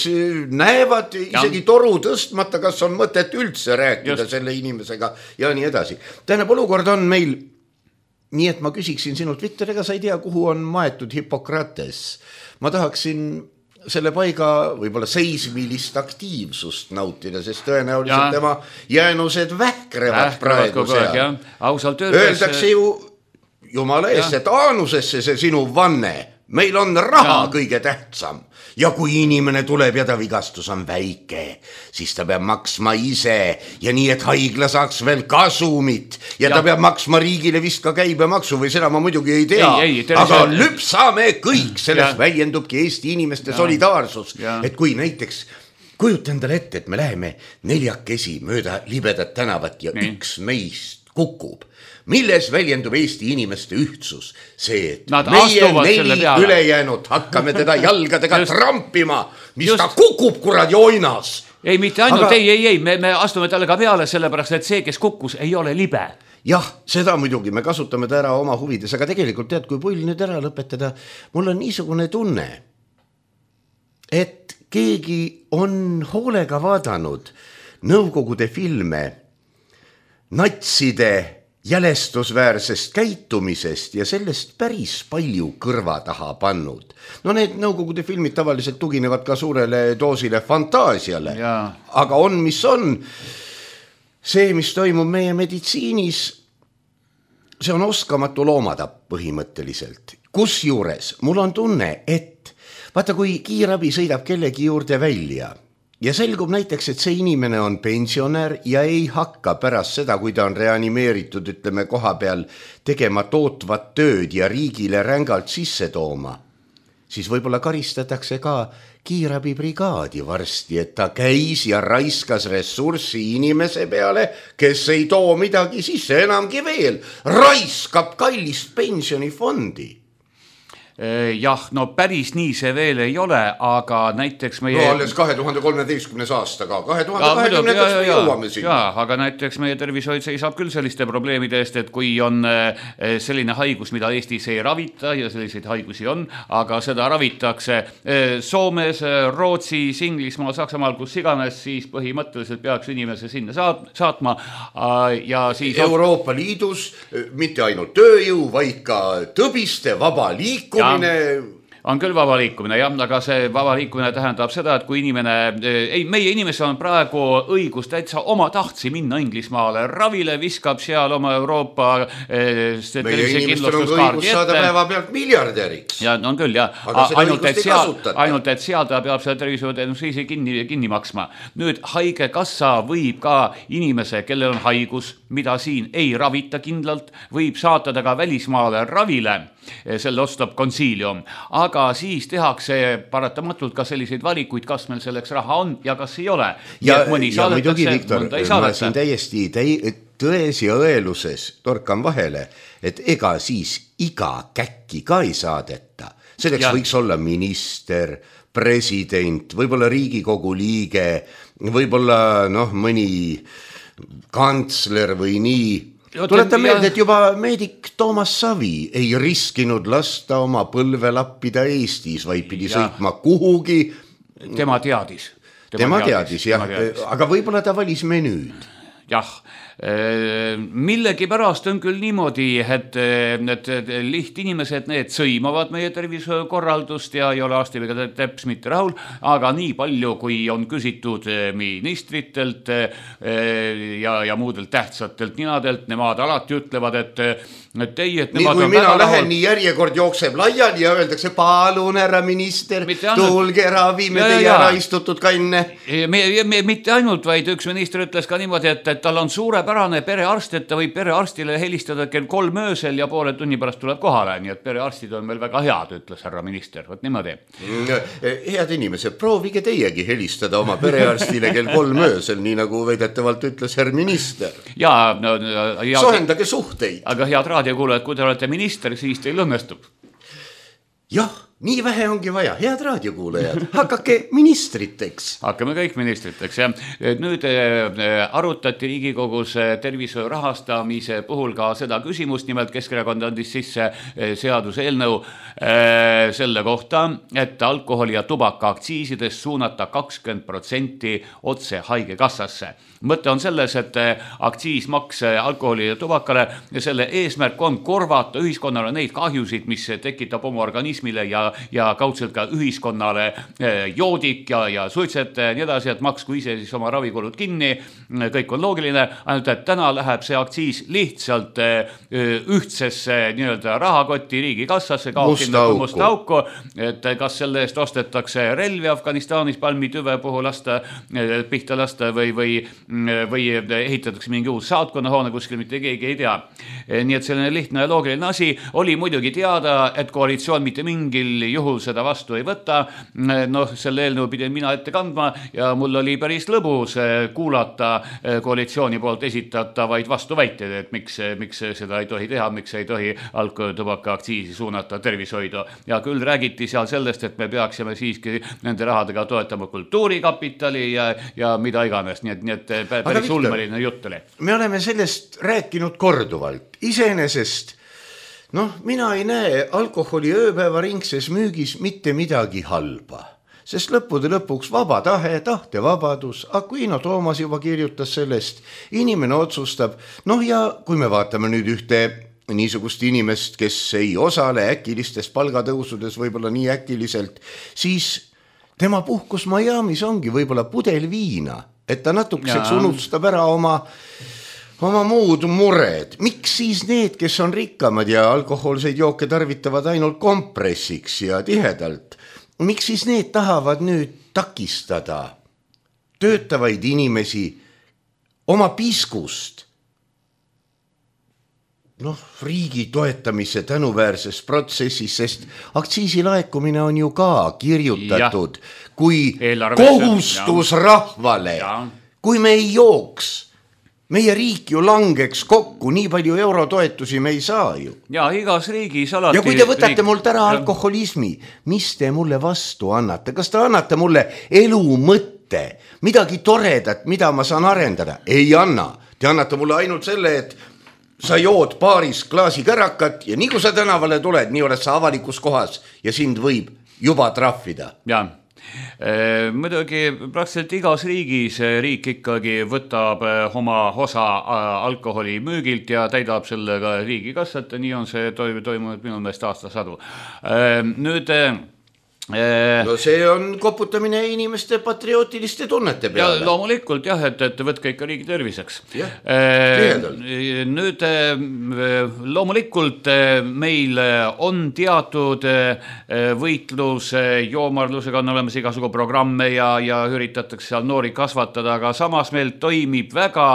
näevad isegi toru tõstmata, kas on mõtet üldse rääkida selle inimesega ja nii edasi. Tähendab, olukord on meil nii, et ma küsiksin sinult, Viktor, ega sa ei tea, kuhu on maetud Hippokrates. Ma tahaksin selle paiga võib-olla seismilist aktiivsust nautida, sest tõenäoliselt tema jäänused vähkrevad praegu seal. Öeldakse ju Jumala eest, et aanusesse see sinu vanne. Meil on raha kõige tähtsam. Ja kui inimene tuleb ja ta vigastus on väike, siis ta peab maksma ise ja nii, et haigla saaks veel kasumit ja ta peab maksma riigile vist ka käibemaksu või seda ma muidugi ei tea. Aga lüpsame kõik, sellest väljendubki Eesti inimeste solidaarsus. Et kui näiteks kujuta endale ette, et me läheme 4 mööda libedat tänavat ja üks meist kukub. Milles väljendub Eesti inimeste ühtsus? See, et meie 4 ülejäänud hakkame teda jalgadega trampima, mis ta kukub kuradi oinas. Ei, mitte ainult, ei, me astume talle ka peale sellepärast, et see, kes kukkus, ei ole libe. Jah, seda muidugi, me kasutame ta ära oma huvides, aga tegelikult tead, kui pull nüüd ära lõpetada, mul on niisugune tunne, et keegi on hoolega vaadanud Nõukogude filme natside jälestusväärsest käitumisest ja sellest päris palju kõrva taha pannud. No need Nõukogude filmid tavaliselt tuginevad ka suurele doosile fantaasiale, aga on, mis on. See, mis toimub meie meditsiinis, see on oskamatu loomatapp põhimõtteliselt. Kusjuures mul on tunne, et vaata, kui kiirabi sõidab kellegi juurde välja ja selgub näiteks, et see inimene on pensionär ja ei hakka pärast seda, kui ta on reanimeeritud, ütleme koha peal, tegema tootvat tööd ja riigile rängalt sisse tooma, siis võib-olla karistatakse ka kiirabibrigaadi varsti, et ta käis ja raiskas ressurssi inimese peale, kes ei too midagi sisse, enamgi veel, raiskab kallist pensionifondi. Jah, no päris nii see veel ei ole, aga näiteks meie... No alles 2013. aastaga, 2020 jõuame siin. Aga näiteks meie tervishoid seisab küll selliste probleemide eest, et kui on selline haigus, mida Eestis ei ravita ja selliseid haigusi on, aga seda ravitakse Soomes, Rootsis, Inglismaal, Saksamaal, kus iganes, siis põhimõtteliselt peaks inimese sinna saatma ja siis... Euroopa Liidus mitte ainult tööjõu, vaid ka tõbiste vaba liikumine. On küll vaba liikumine, jah, aga see vaba liikumine tähendab seda, et kui inimene, meie inimesel on praegu õigus täitsa oma tahtsi minna Inglismaale ravile, viskab seal oma Euroopa meie inimestel on õigus saada päeva pealt miljardäriks. Ja on küll, jah. Ainult, et seal ta peab selle tervishoiuteenuse kinni maksma. Nüüd haigekassa võib ka inimese, kellel on haigus, mida siin ei ravita kindlalt, võib saatada ka välismaale ravile, selle ostab konsiilium, aga siis tehakse paratamatult ka selliseid valikuid, kas meil selleks raha on ja kas ei ole. Ja muidugi, Viktor, ma siin täiesti tões ja õeluses torkan vahele, et ega siis iga käkki ka ei saadeta. Selleks võiks olla minister, president, võib-olla Riigikogu liige, võib-olla mõni kantsler või nii. Tuleta meelde, et juba meedik Toomas Savi ei riskinud lasta oma põlve lappida Eestis, vaid pidi sõitma kuhugi. Tema teadis, jah. Aga võib-olla ta valis menüüd. Jah, millegipärast on küll niimoodi, et lihtinimesed need sõimavad meie terviskorraldust ja ei ole arstiga teps mitte rahul, aga nii palju, kui on küsitud ministritelt ja muudelt tähtsatelt ninadelt, nemad alati ütlevad, et teie, et nemad nii, kui mina lähen, nii järjekord jookseb laiali ja öeldakse, palun, härra minister, tulge ravime teie ära istutud kanne. Mitte ainult, vaid üks minister ütles ka niimoodi, et tal on suurepärane perearst, et ta võib perearstile helistada kell 3 öösel ja poole tunni pärast tuleb kohale, nii et perearstid on meil väga head, ütles härra minister, võt niimoodi. Head inimesed, proovige teiegi helistada oma perearstile kell 3 öösel, nii nagu väidetavalt ütles härra minister. Sohendage suhteid. Aga head raadiokuulajad, kui te olete minister, siis teil õnnestub. Jah, nii vähe ongi vaja, head raadiokuulajad, hakake ministriteks. Hakkame kõik ministriteks, jah. Nüüd arutati Riigikogus tervishoiu rahastamise puhul ka seda küsimust, nimelt Keskerakond andis sisse seaduseelnõu selle kohta, et alkoholi ja tubaka aktsiisidest suunata 20% otse haigekassasse. Mõte on selles, et aktsiismaks alkoholi ja tubakale ja selle eesmärk on korvata ühiskonnale neid kahjusid, mis tekitab oma organismile ja kaudselt ka ühiskonnale joodik ja suitsete ja nii edasi, et maksku ise siis oma ravikulud kinni, kõik on loogiline, ainult et täna läheb see aktsiis lihtsalt ühtsesse nii-öelda rahakotti riigikassasse, kaob sinna musta auku, et kas selle eest ostetakse relvi Afganistanis palmitüve puhul pihta lasta või ehitatakse mingi uus saatkonnahoone kuskil, mitte keegi ei tea. Nii et selline lihtne ja loogiline asi oli muidugi teada, et koalitsioon mitte mingil juhul seda vastu ei võta. Selle eelnõu pidin mina ette kandma ja mul oli päris lõbus kuulata koalitsiooni poolt esitatavaid vastuväiteid, et miks seda ei tohi teha, miks ei tohi alkoholi tubaka aktsiisi suunata tervishoidu. Ja küll räägiti seal sellest, et me peaksime siiski nende rahadega toetama kultuurikapitali ja mida iganes, nii et päris ulmeline jutt oli. Me oleme sellest rääkinud korduvalt. Iseenesest, mina ei näe alkoholi ööpäevaringses müügis mitte midagi halba. Sest lõppude lõpuks vaba tahe, tahtevabadus, Aquino Toomas juba kirjutas sellest, inimene otsustab, ja kui me vaatame nüüd ühte niisugust inimest, kes ei osale äkilistes palgatõusudes võib-olla nii äkiliselt, siis tema puhkus Miami's ongi võib-olla pudel viina, et ta natukeseks unustab ära oma muud mured. Miks siis need, kes on rikkamad ja alkohoolseid jooke tarvitavad ainult kompressiks ja tihedalt, miks siis need tahavad nüüd takistada töötavaid inimesi oma piskust riigi toetamise tänuväärses protsessis, sest aktsiisilaekumine on ju ka kirjutatud kui kohustus rahvale. Kui me ei jooks meie riik ju langeks kokku, nii palju eurotoetusi me ei saa ju. Ja igas riigis alati... Ja kui te võtate mult ära alkoholismi, mis te mulle vastu annate? Kas te annate mulle elu mõtte, midagi toredat, mida ma saan arendada? Ei anna. Te annate mulle ainult selle, et sa jood paaris klaasi kärakat ja nii kui sa tänavale tuled, nii oled sa avalikus kohas ja sind võib juba trahvida. Jaa. Muidugi praktiliselt igas riigis riik ikkagi võtab oma osa alkoholi müügilt ja täidab sellega riigikassat ja nii on see toimunud minu meelest aastasadu. Nüüd... No see on koputamine inimeste patriootiliste tunnete peale. Ja loomulikult jah, et võtke ikka riigi terviseks. Nüüd loomulikult meil on teatud võitlus joomarlusega, on olemas igasugu programme ja üritatakse seal noori kasvatada, aga samas meil toimib väga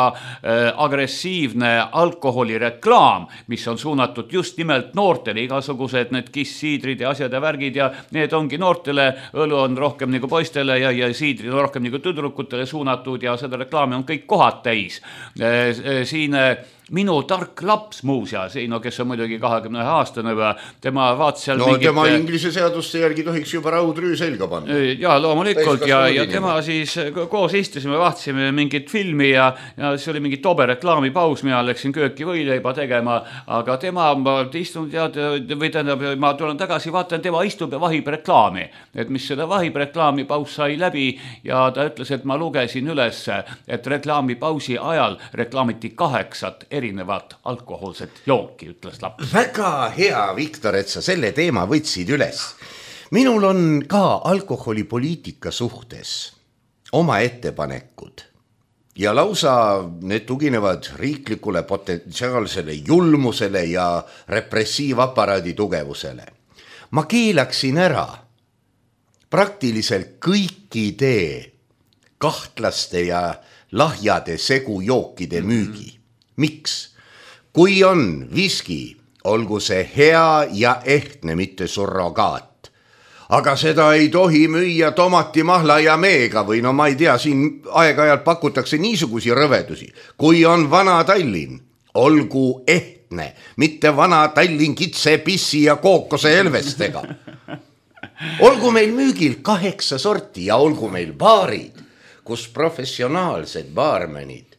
agressiivne alkoholireklaam, mis on suunatud just nimelt noortele, igasugused need kissiidrid ja asjad ja värgid ja need ongi noortele, õlu on rohkem nagu poistele ja siidrid on rohkem nagu tüdrukutele suunatud ja seda reklaami on kõik kohad täis. Siin minu tark laps muuseas, kes on muidugi 21-aastane, tema vaatas seal mingit... tema inglise seaduste järgi tohiks juba raudrüü selga panna. Ja loomulikult ja tema siis koos istusime, vaatasime mingit filmi ja see oli mingi tobe reklaamipaus, mina läksin kööki võileiba tegema, aga tema istunud või tähendab, ma tulen tagasi, vaatan, tema istub ja vahib reklaami, et mis seda vahib reklaami paus sai läbi ja ta ütles, et ma lugesin üles, et reklaamipausi ajal reklaamiti 8 erinevat alkoholset jooki, ütles laps. Väga hea, Viktor, et sa selle teema võtsid üles. Minul on ka alkoholipoliitika suhtes oma ettepanekud ja lausa need tuginevad riiklikule potentsiaalsele julmusele ja repressiivaparaadi tugevusele. Ma keelaksin ära praktiliselt kõikide kahtlaste ja lahjade segujookide müügi. Miks? Kui on viski, olgu see hea ja ehtne, mitte surrogaat. Aga seda ei tohi müüa tomati, mahla ja meega või no ma ei tea, siin aeg-ajalt pakutakse niisugusi rõvedusi. Kui on vana Tallinn, olgu ehtne, mitte vana Tallinn kitse, pissi ja kookose elvestega. Olgu meil müügil 8 sorti ja olgu meil baarid, kus professionaalsed baarmenid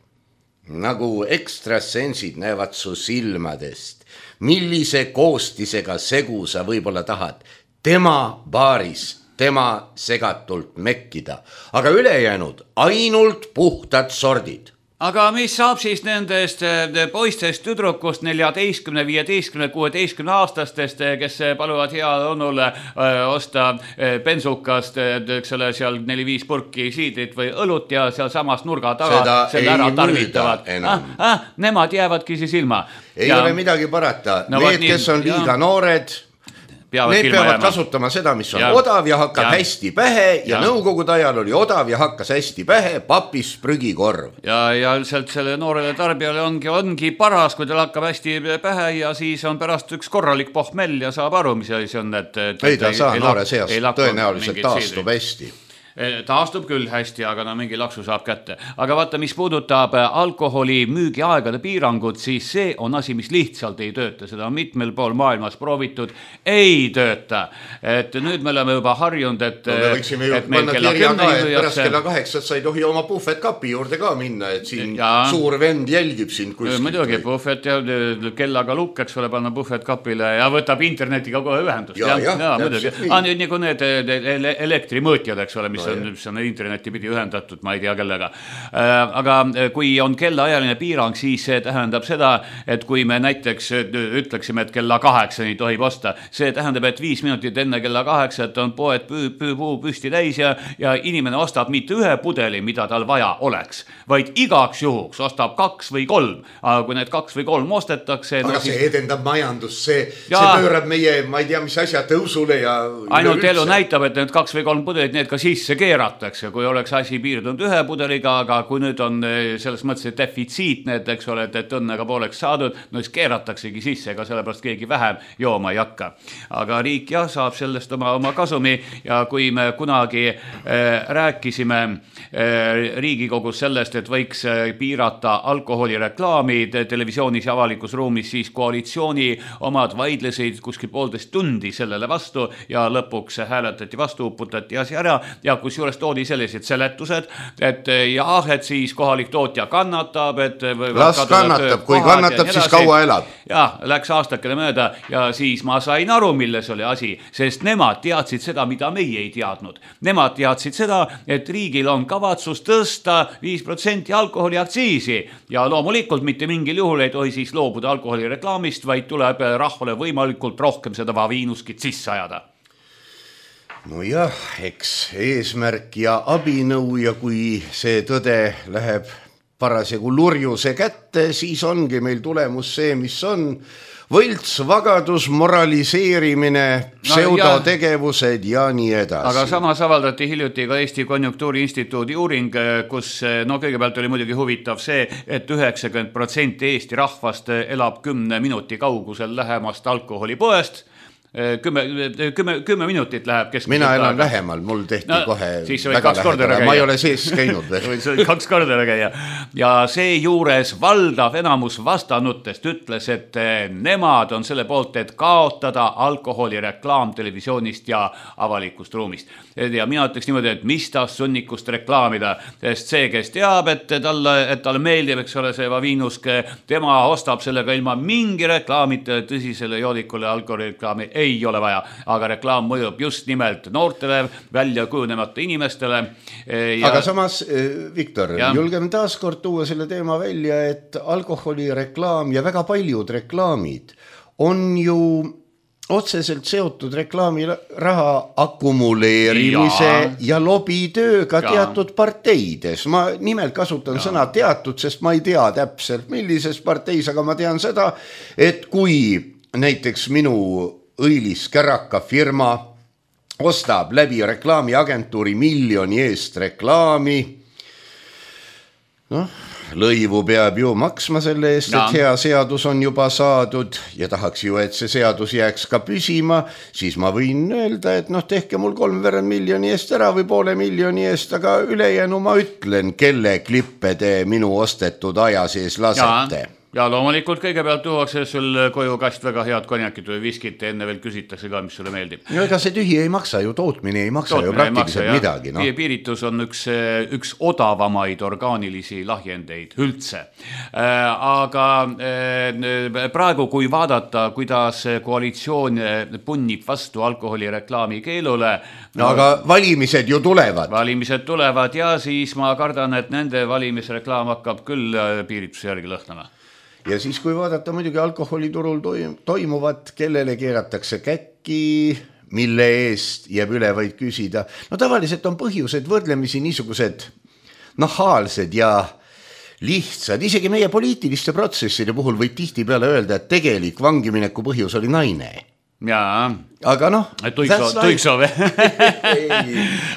nagu ekstrasensid näevad su silmadest, millise koostisega segu sa võib-olla tahad. Tema baaris, tema segatult mekkida, aga ülejäänud ainult puhtad sordid. Aga mis saab siis nendest poistest tüdrukust 14, 15, 16 aastastest, kes paluvad hea onule osta bensukast seal 4-5 purki siidrit või õlut ja seal samas nurga taga seda selle ära tarvitavad. Nemad jäävadki siis ilma. Ei ole midagi parata. Need, kes on liiga noored... Need peavad kasutama seda, mis on odav ja hakkab hästi pähe ja nõukogude ajal oli odav ja hakkas hästi pähe papis prügikorv. Ja üldiselt selle noorele tarbijale ongi paras, kui tal hakkab hästi pähe ja siis on pärast üks korralik pohmell ja saab aru, mis see on. Ei ta saa noore seast, tõenäoliselt taastub hästi. Taastub küll hästi, aga mingi laksu saab kätte. Aga vaata, mis puudutab alkoholi müügiaegade piirangut, siis see on asi, mis lihtsalt ei tööta. Seda on mitmel pool maailmas proovitud. Ei tööta. Et nüüd me oleme juba harjunud, et me võiksime ju panna kirja ka, et pärast kella 8 sa ei tohi oma puhvetkapi juurde ka minna, et siin suur vend jälgib sind kuskilt. Muidugi puhvet ja kellaga lukkeks ole panna puhvetkapile ja võtab internetiga kohe ühendust. Ja muidugi. Nagu need elektrimõõtjad, eks ole, mis on interneti pidi ühendatud, ma ei tea kellega. Aga kui on kellaajaline piirang, siis see tähendab seda, et kui me näiteks ütleksime, et kella 8 tohib osta, see tähendab, et 5 minutit enne kella 8 on poed püsti täis ja inimene ostab mitte ühe pudeli, mida tal vaja oleks, vaid igaks juhuks ostab 2 või 3. Aga kui need 2 või 3 ostetakse... Aga see edendab majandus, see pöörab meie, ma ei tea, mis asja tõusule ja... Ainult elu näitab, et need 2 või 3 pudelit, need ka sisse sisse keeratakse, kui oleks asi piirdunud ühe pudeliga, aga kui nüüd on selles mõttes defitsiit, need, eks ole, et õnnega pooleks saadud, no siis keerataksegi sisse, ega sellepärast keegi vähem jooma ei hakka. Aga riik jah, saab sellest oma kasumi ja kui me kunagi rääkisime Riigikogus sellest, et võiks piirata alkoholireklaami televisioonis ja avalikus ruumis, siis koalitsiooni omad vaidlesid kuskil 1,5 tundi sellele vastu ja lõpuks hääletati vastu, uputati asi ära ja kus juures toodi sellised seletused, et jah, et siis kohalik tootja kannatab, et las kannatab, kui kannatab, siis kaua elab. Ja, läks aastakene mööda ja siis ma sain aru, milles oli asi, sest nemad teadsid seda, mida meie ei teadnud. Nemad teadsid seda, et riigil on kavatsus tõsta 5% alkoholiaktsiisi ja loomulikult mitte mingil juhul ei tohi siis loobuda alkoholireklaamist, vaid tuleb rahvale võimalikult rohkem seda vaviinuskit sisse ajada. No jah, eks eesmärk ja abinõu ja kui see tõde läheb parasjagu lurjuse kätte, siis ongi meil tulemus see, mis on võlts, vagadus, moraliseerimine, pseudotegevused ja nii edasi. Aga samas avaldati hiljuti ka Eesti Konjunktuuriinstituudi uuring, kus kõigepealt oli muidugi huvitav see, et 90% Eesti rahvast elab 10 minuti kaugusel lähemast alkoholipoest. 10 minutit läheb keskmiselt. Mina elan lähemal, mul tehti kohe väga lähedale, ma ei ole sees käinud. Võid 2 korda käia. Ja see juures valdav enamus vastanutest ütles, et nemad on selle poolt, et kaotada alkoholireklaam televisioonist ja avalikust ruumist. Ja mina ütleks niimoodi, et mis ta sunnikust reklaamida, sest see, kes teab, et talle meeldib, eks ole, see vaviinuske, tema ostab sellega ilma mingi reklaamita tõsisele joodikule alkoholireklaami ei ole vaja, aga reklaam mõjub just nimelt noortele, välja kujunemata inimestele. Aga samas, Viktor, julgeme taaskord tuua selle teema välja, et alkoholireklaam ja väga paljud reklaamid on ju otseselt seotud reklaamiraha akumuleerimise ja lobitööga teatud parteides. Ma nimelt kasutan sõna teatud, sest ma ei tea täpselt, millises parteis, aga ma tean seda, et kui näiteks minu õilis käraka firma ostab läbi reklaamiagentuuri miljoni eest reklaami, lõivu peab ju maksma selle eest, et hea seadus on juba saadud ja tahaks ju, et see seadus jääks ka püsima, siis ma võin öelda, et tehke mul 3,5 miljoni eest ära või 0,5 miljoni eest, aga ülejäänu ma ütlen, kelle klippe te minu ostetud aja sees lasete. Ja loomulikult kõigepealt tuuakse sul koju kast väga head konjakit või viskit ja enne veel küsitakse ka, mis sulle meeldib. No ega see tühi ei maksa ju, tootmine ei maksa ju praktiliselt midagi. Piiritus on üks odavamaid orgaanilisi lahjendeid üldse. Aga praegu, kui vaadata, kuidas koalitsioon punnib vastu alkoholireklaami keelule. Aga valimised ju tulevad. Valimised tulevad ja siis ma kardan, et nende valimisreklaam hakkab küll piirituse järgi lõhnama. Ja siis, kui vaadata muidugi alkoholiturul toimuvat, kellele keeratakse käkki, mille eest jääb üle vaid küsida. Tavaliselt on põhjused võrdlemisi niisugused nahaalsed ja lihtsad. Isegi meie poliitiliste protsesside puhul võib tihti peale öelda, et tegelik vangimineku põhjus oli naine. Jaa. Aga Tuiksoo või?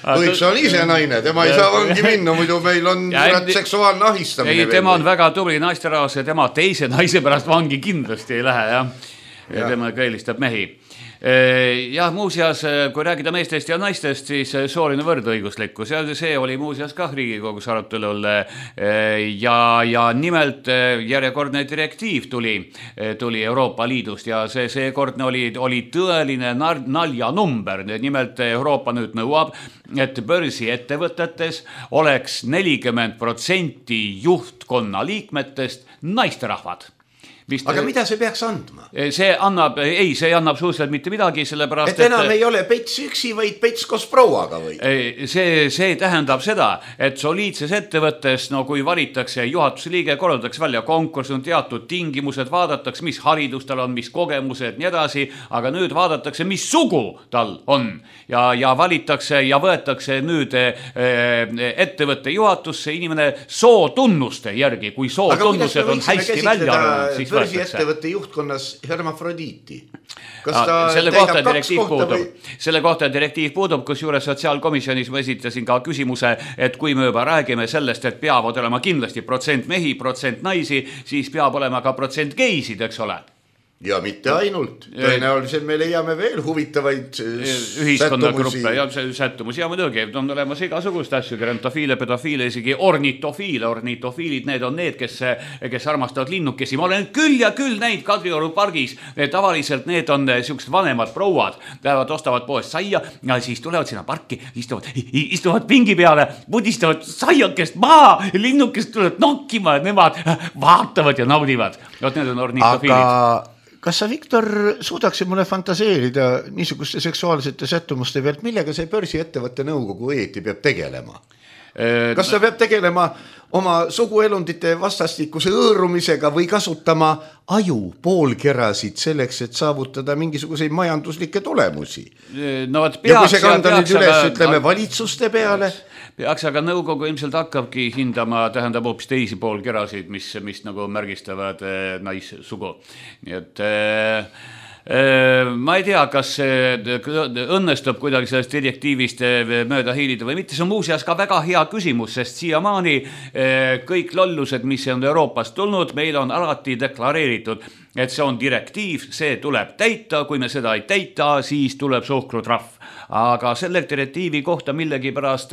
Tuiksoo on ise naine, tema ei saa vangi minna, muidu meil on seksuaalne ahistamine. Ei, tema on väga tubli naisterahvas ja tema teise naise pärast vangi kindlasti ei lähe, ja tema kõelistab mehi. Ja muuseas, kui räägida meestest ja naistest, siis sooline võrdõiguslikkus ja see oli muuseas ka Riigikogus arutelul ja nimelt järjekordne direktiiv tuli Euroopa Liidust ja seekordne oli tõeline naljanumber. Nimelt Euroopa nüüd nõuab, et börsiettevõtetes oleks 40% juhtkonna liikmetest naisterahvad. Aga mida see peaks andma? See annab suhteliselt mitte midagi, sellepärast et enam ei ole pets üksi, vaid pets koos prouaga või? See tähendab seda, et soliidses ettevõttes, kui valitakse juhatuse liige, korraldatakse välja konkurss, on teatud tingimused, vaadatakse, mis haridus tal on, mis kogemused, nii edasi, aga nüüd vaadatakse, mis sugu tal on ja valitakse ja võetakse nüüd ettevõtte juhatusse inimene sootunnuste järgi, kui sootunnused on hästi välja arvanud, siis börsiettevõtte juhtkonnas hermafrodiiti? Selle kohta direktiiv puudub, kus juures sotsiaalkomisjonis ma esitasin ka küsimuse, et kui me juba räägime sellest, et peavad olema kindlasti protsent mehi, protsent naisi, siis peab olema ka protsent geisid, eks ole. Ja mitte ainult. Tõenäoliselt me leiame veel huvitavaid ühiskonnagruppe ja sättumusi. Ja muidugi on olemas igasugust asju, gerontofiile, pedofiile, isegi ornitofiile. Ornitofiilid, need on need, kes armastavad linnukesi. Ma olen küll ja küll näinud Kadrioru pargis. Tavaliselt need on siuksed vanemad prouad. Lähevad, ostavad poest saia ja siis tulevad sinna parki, istuvad pingi peale, pudistavad saiakest maa, linnukest tulevad nokkima ja nemad vaatavad ja naudivad. Need on ornitofiilid. Kas sa, Viktor, suudaksid mulle fantaseerida niisuguste seksuaalsete sättumuste pealt, millega see börsiettevõtte nõukogu õieti peab tegelema? Kas ta peab tegelema oma suguelundite vastastikuse õõrumisega või kasutama aju poolkerasid selleks, et saavutada mingisuguseid majanduslikke tulemusi? No, ja kui see kanda nüüd üles, ütleme, valitsuste peale? Peaks, aga nõukogu ilmselt hakkabki hindama, tähendab hoopis teisi poolkerasid, mis nagu märgistavad naissugu. Nii et ma ei tea, kas õnnestub kuidagi sellest direktiivist mööda hiilida või mitte. See on muuseas ka väga hea küsimus, sest siiamaani kõik lollused, mis on Euroopast tulnud, meil on alati deklareeritud, et see on direktiiv, see tuleb täita, kui me seda ei täita, siis tuleb suhkrutrahv. Aga selle direktiivi kohta millegi pärast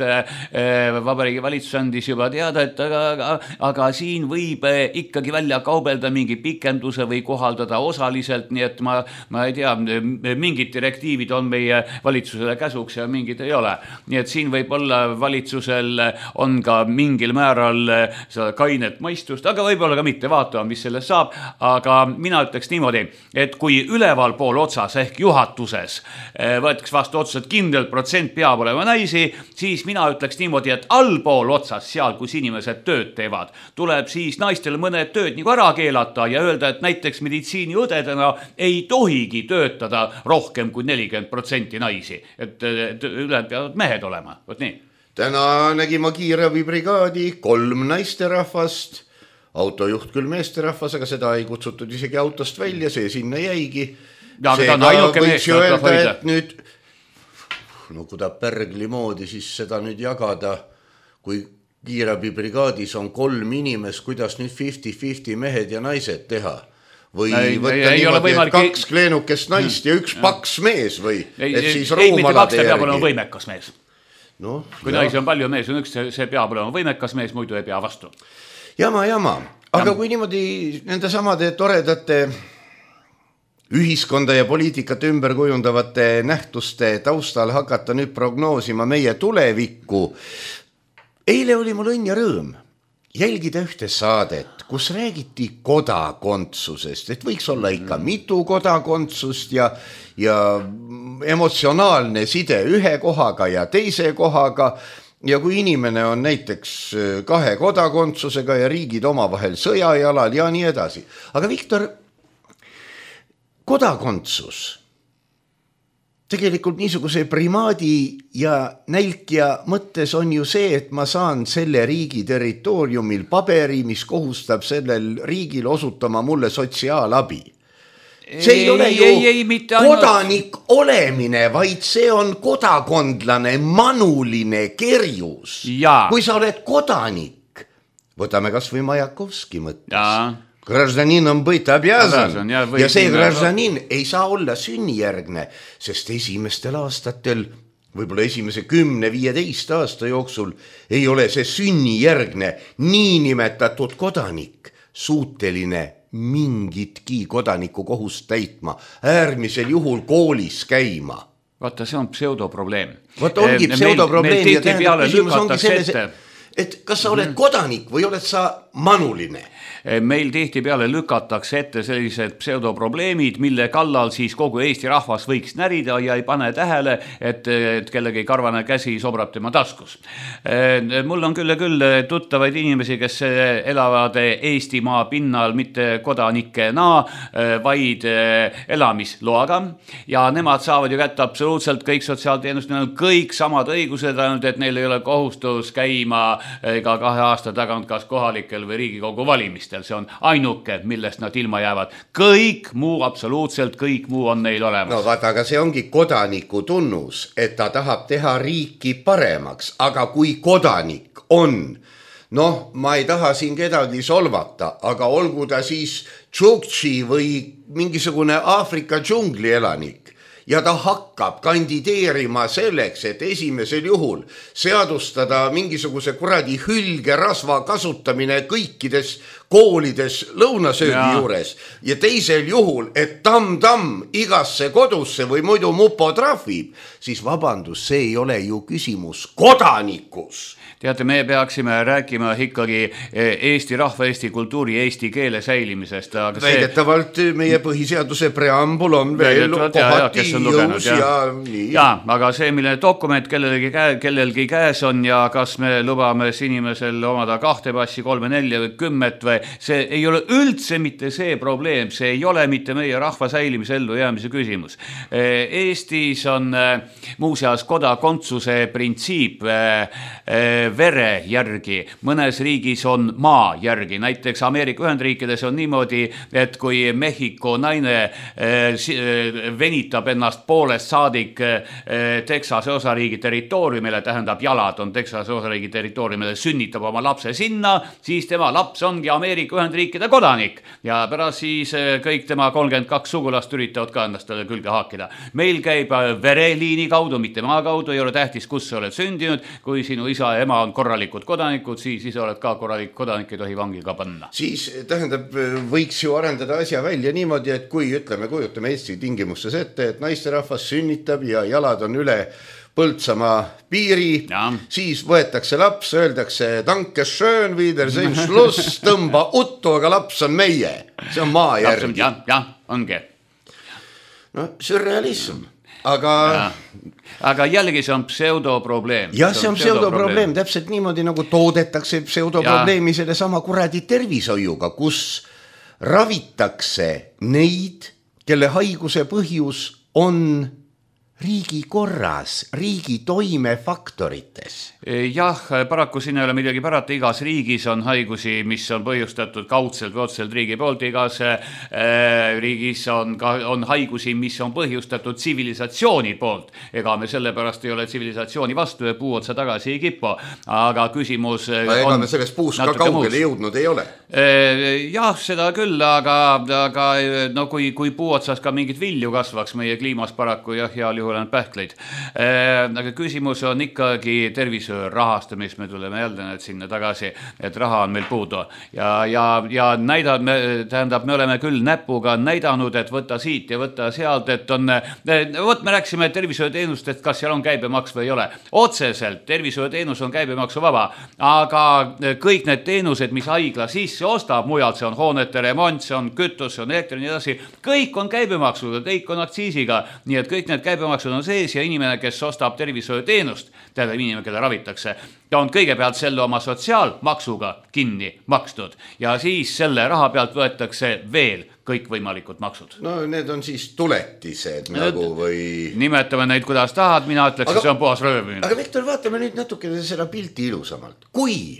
Vabariigi Valitsus andis juba teada, et aga siin võib ikkagi välja kaubelda mingi pikenduse või kohaldada osaliselt, nii et ma ei tea, mingid direktiivid on meie valitsusele käsuks ja mingid ei ole. Nii et siin võib olla valitsusel on ka mingil määral seda kainet maistust, aga võib-olla ka mitte, vaatama, mis sellest saab. Aga mina ütleks niimoodi, et kui üleval pool otsas ehk juhatuses võetaks vastu otsused, kindel protsent peab olema naisi, siis mina ütleks niimoodi, et allpool otsas, seal, kus inimesed tööd teevad, tuleb siis naistel mõned tööd nagu ära keelata ja öelda, et näiteks meditsiiniõdedena ei tohigi töötada rohkem kui 40% naisi. Et ülejäänud peavad mehed olema. Võt nii. Täna nägime kiirabibrigaadi 3 naisterahvast, autojuht küll meesterahvas, aga seda ei kutsutud isegi autost välja, see sinna jäigi. Ja, seega võiks ju öelda, et nüüd no kui ta Pärgli moodi siis seda nüüd jagada, kui kiirabibrigaadis on 3 inimest, kuidas nüüd 50-50 mehed ja naised teha? Või võtta niimoodi, et 2 kleenukest naist ja 1 paks mees või? Ei, mitte 2, ta peab olema võimekas mees. No, kui naisi on palju, mees on 1, see peab olema võimekas mees, muidu ei pea vastu. Jama. Aga kui niimoodi nende samade toredate ühiskonda ja poliitikat ümber kujundavate nähtuste taustal hakata nüüd prognoosima meie tulevikku. Eile oli mul õnn ja rõõm jälgida ühte saadet, kus räägiti kodakondsusest, et võiks olla ikka mitu kodakondsust ja emotsionaalne side ühe kohaga ja teise kohaga. Ja kui inimene on näiteks 2 kodakondsusega ja riigid omavahel sõjajalal ja nii edasi. Aga Viktor, kodakondsus tegelikult niisuguse primaadi ja nälkja mõttes on ju see, et ma saan selle riigi territooriumil paberi, mis kohustab sellel riigil osutama mulle sotsiaalabi. See ei ole ju kodanik olemine, vaid see on kodakondlane manuline kerjus. Kui sa oled kodanik, võtame kas või Majakovski mõttes. Гражданин on быть обязан ja see гражданин ei saa olla sünnijärgne, sest esimestel aastatel, võib-olla esimese 10-15 aasta jooksul ei ole see sünnijärgne niinimetatud kodanik suuteline mingitki kodaniku kohust täitma, äärmisel juhul koolis käima. Vaata, see on pseudoprobleem. Vaata, ongi pseudoprobleem ja küsimus ongi selles, et kas sa oled kodanik või oled sa manuline? Meil tihtipeale lükatakse ette sellised pseudoprobleemid, mille kallal siis kogu Eesti rahvas võiks närida ja ei pane tähele, et kellegi karvane käsi sobrab tema taskus. Mul on küll tuttavaid inimesi, kes elavad Eestimaa pinnal mitte kodanikena, vaid elamisloaga ja nemad saavad ju kätte absoluutselt kõik sotsiaalteenust, neil on kõik samad õigused, ainult et neil ei ole kohustus käima iga 2 aasta tagant kas kohalikel või Riigikogu valimistel. See on ainuke, millest nad ilma jäävad. Kõik muu, absoluutselt kõik muu on neil olemas. No vaata, aga see ongi kodaniku tunnus, et ta tahab teha riiki paremaks, aga kui kodanik on, noh, ma ei taha siin kedagi solvata, aga olgu ta siis Tšuktši või mingisugune Aafrika džungli elanik ja ta hakkab kandideerima selleks, et esimesel juhul seadustada mingisuguse kuradi hülgerasva kasutamine kõikides koolides lõunasöögi juures ja teisel juhul, et tamm-tamm igasse kodusse või muidu mupo trahvib, siis vabandus, see ei ole ju küsimus kodanikus. Teate, me peaksime rääkima ikkagi Eesti rahva, Eesti kultuuri, Eesti keele säilimisest. Väidetavalt meie põhiseaduse preambul on veel kohati jõus ja nii. Ja, aga see, mille dokument kellelgi käes on ja kas me lubame inimesel omada 2 passi, 3, 4 või 10 või see ei ole üldse mitte see probleem, see ei ole mitte meie rahva säilimise ellu jäämise küsimus. Eestis on muuseas kodakondsuse printsiip vere järgi, mõnes riigis on maa järgi, näiteks Ameerika Ühendriikides on niimoodi, et kui Mehhiko naine venitab ennast poolest saadik Texase osariigi territooriumile, tähendab jalad on Texase osariigi territooriumile, sünnitab oma lapse sinna, siis tema laps ongi Ameerika Ühendriikide kodanik ja pärast siis kõik tema 32 sugulast üritavad ka ennast külge haakida. Meil käib vereliini kaudu, mitte maa kaudu, ei ole tähtis, kus sa oled sündinud, kui sinu isa ja ema on korralikud kodanikud, siis oled ka korralik kodanik, ei tohi vangi ka panna. Siis tähendab, võiks ju arendada asja välja niimoodi, et kui kujutame Eesti tingimustes ette, et naisterahvas sünnitab ja jalad on üle Põltsamaa piiri, siis võetakse laps, öeldakse danke schön, wiedersehen, schluss, tõmba uttu, aga laps on meie. See on maa järgi. Ja, ongi. No, sürrealism. Aga jällegi see on pseudoprobleem. Ja see on pseudoprobleem, täpselt niimoodi nagu toodetakse pseudoprobleemi selle sama kuradi tervishoiuga, kus ravitakse neid, kelle haiguse põhjus on riigi korras, riigi toimefaktorites. Jah, paraku siin ei ole midagi pärata, igas riigis on haigusi, mis on põhjustatud kaudselt või otseselt riigi poolt, igas riigis on haigusi, mis on põhjustatud tsivilisatsiooni poolt. Ega me sellepärast ei ole tsivilisatsiooni vastu ja puu otsa tagasi ei kipu, aga küsimus ega me sellest puust ka kaugele jõudnud ei ole. Jah, seda küll, aga no, kui puu otsas ka mingit vilju kasvaks meie kliimas paraku ja heal juhul on pähkleid. Aga küsimus on ikkagi tervishoiu rahastamist, me tuleme jälle sinna tagasi, et raha on meil puudu. Ja me oleme küll näpuga näidanud, et võtta siit ja võtta sealt, et on, me rääksime tervishoiuteenustest, kas seal on käibemaks või ei ole. Otseselt tervishoiuteenus on käibemaksu vaba, aga kõik need teenused, mis haigla sisse ostab, mujalt see on hoonete remont, see on kütus, see on elektri, nii edasi, kõik on käibemaksuga, kõik on aktsiisiga, nii et kõik need käibemaksud on sees ja inimene, kes ostab tervishoiuteenust, tähendab inimene, kelle ravitakse, ta on kõigepealt selle oma sotsiaalmaksuga kinni makstud ja siis selle raha pealt võetakse veel kõik võimalikud maksud. No need on siis tuletised nagu või... Nimetame neid, kuidas tahad, mina ütleks, see on puhas röövimine. Aga Viktor, vaatame nüüd natuke seda pilti ilusamalt. Kui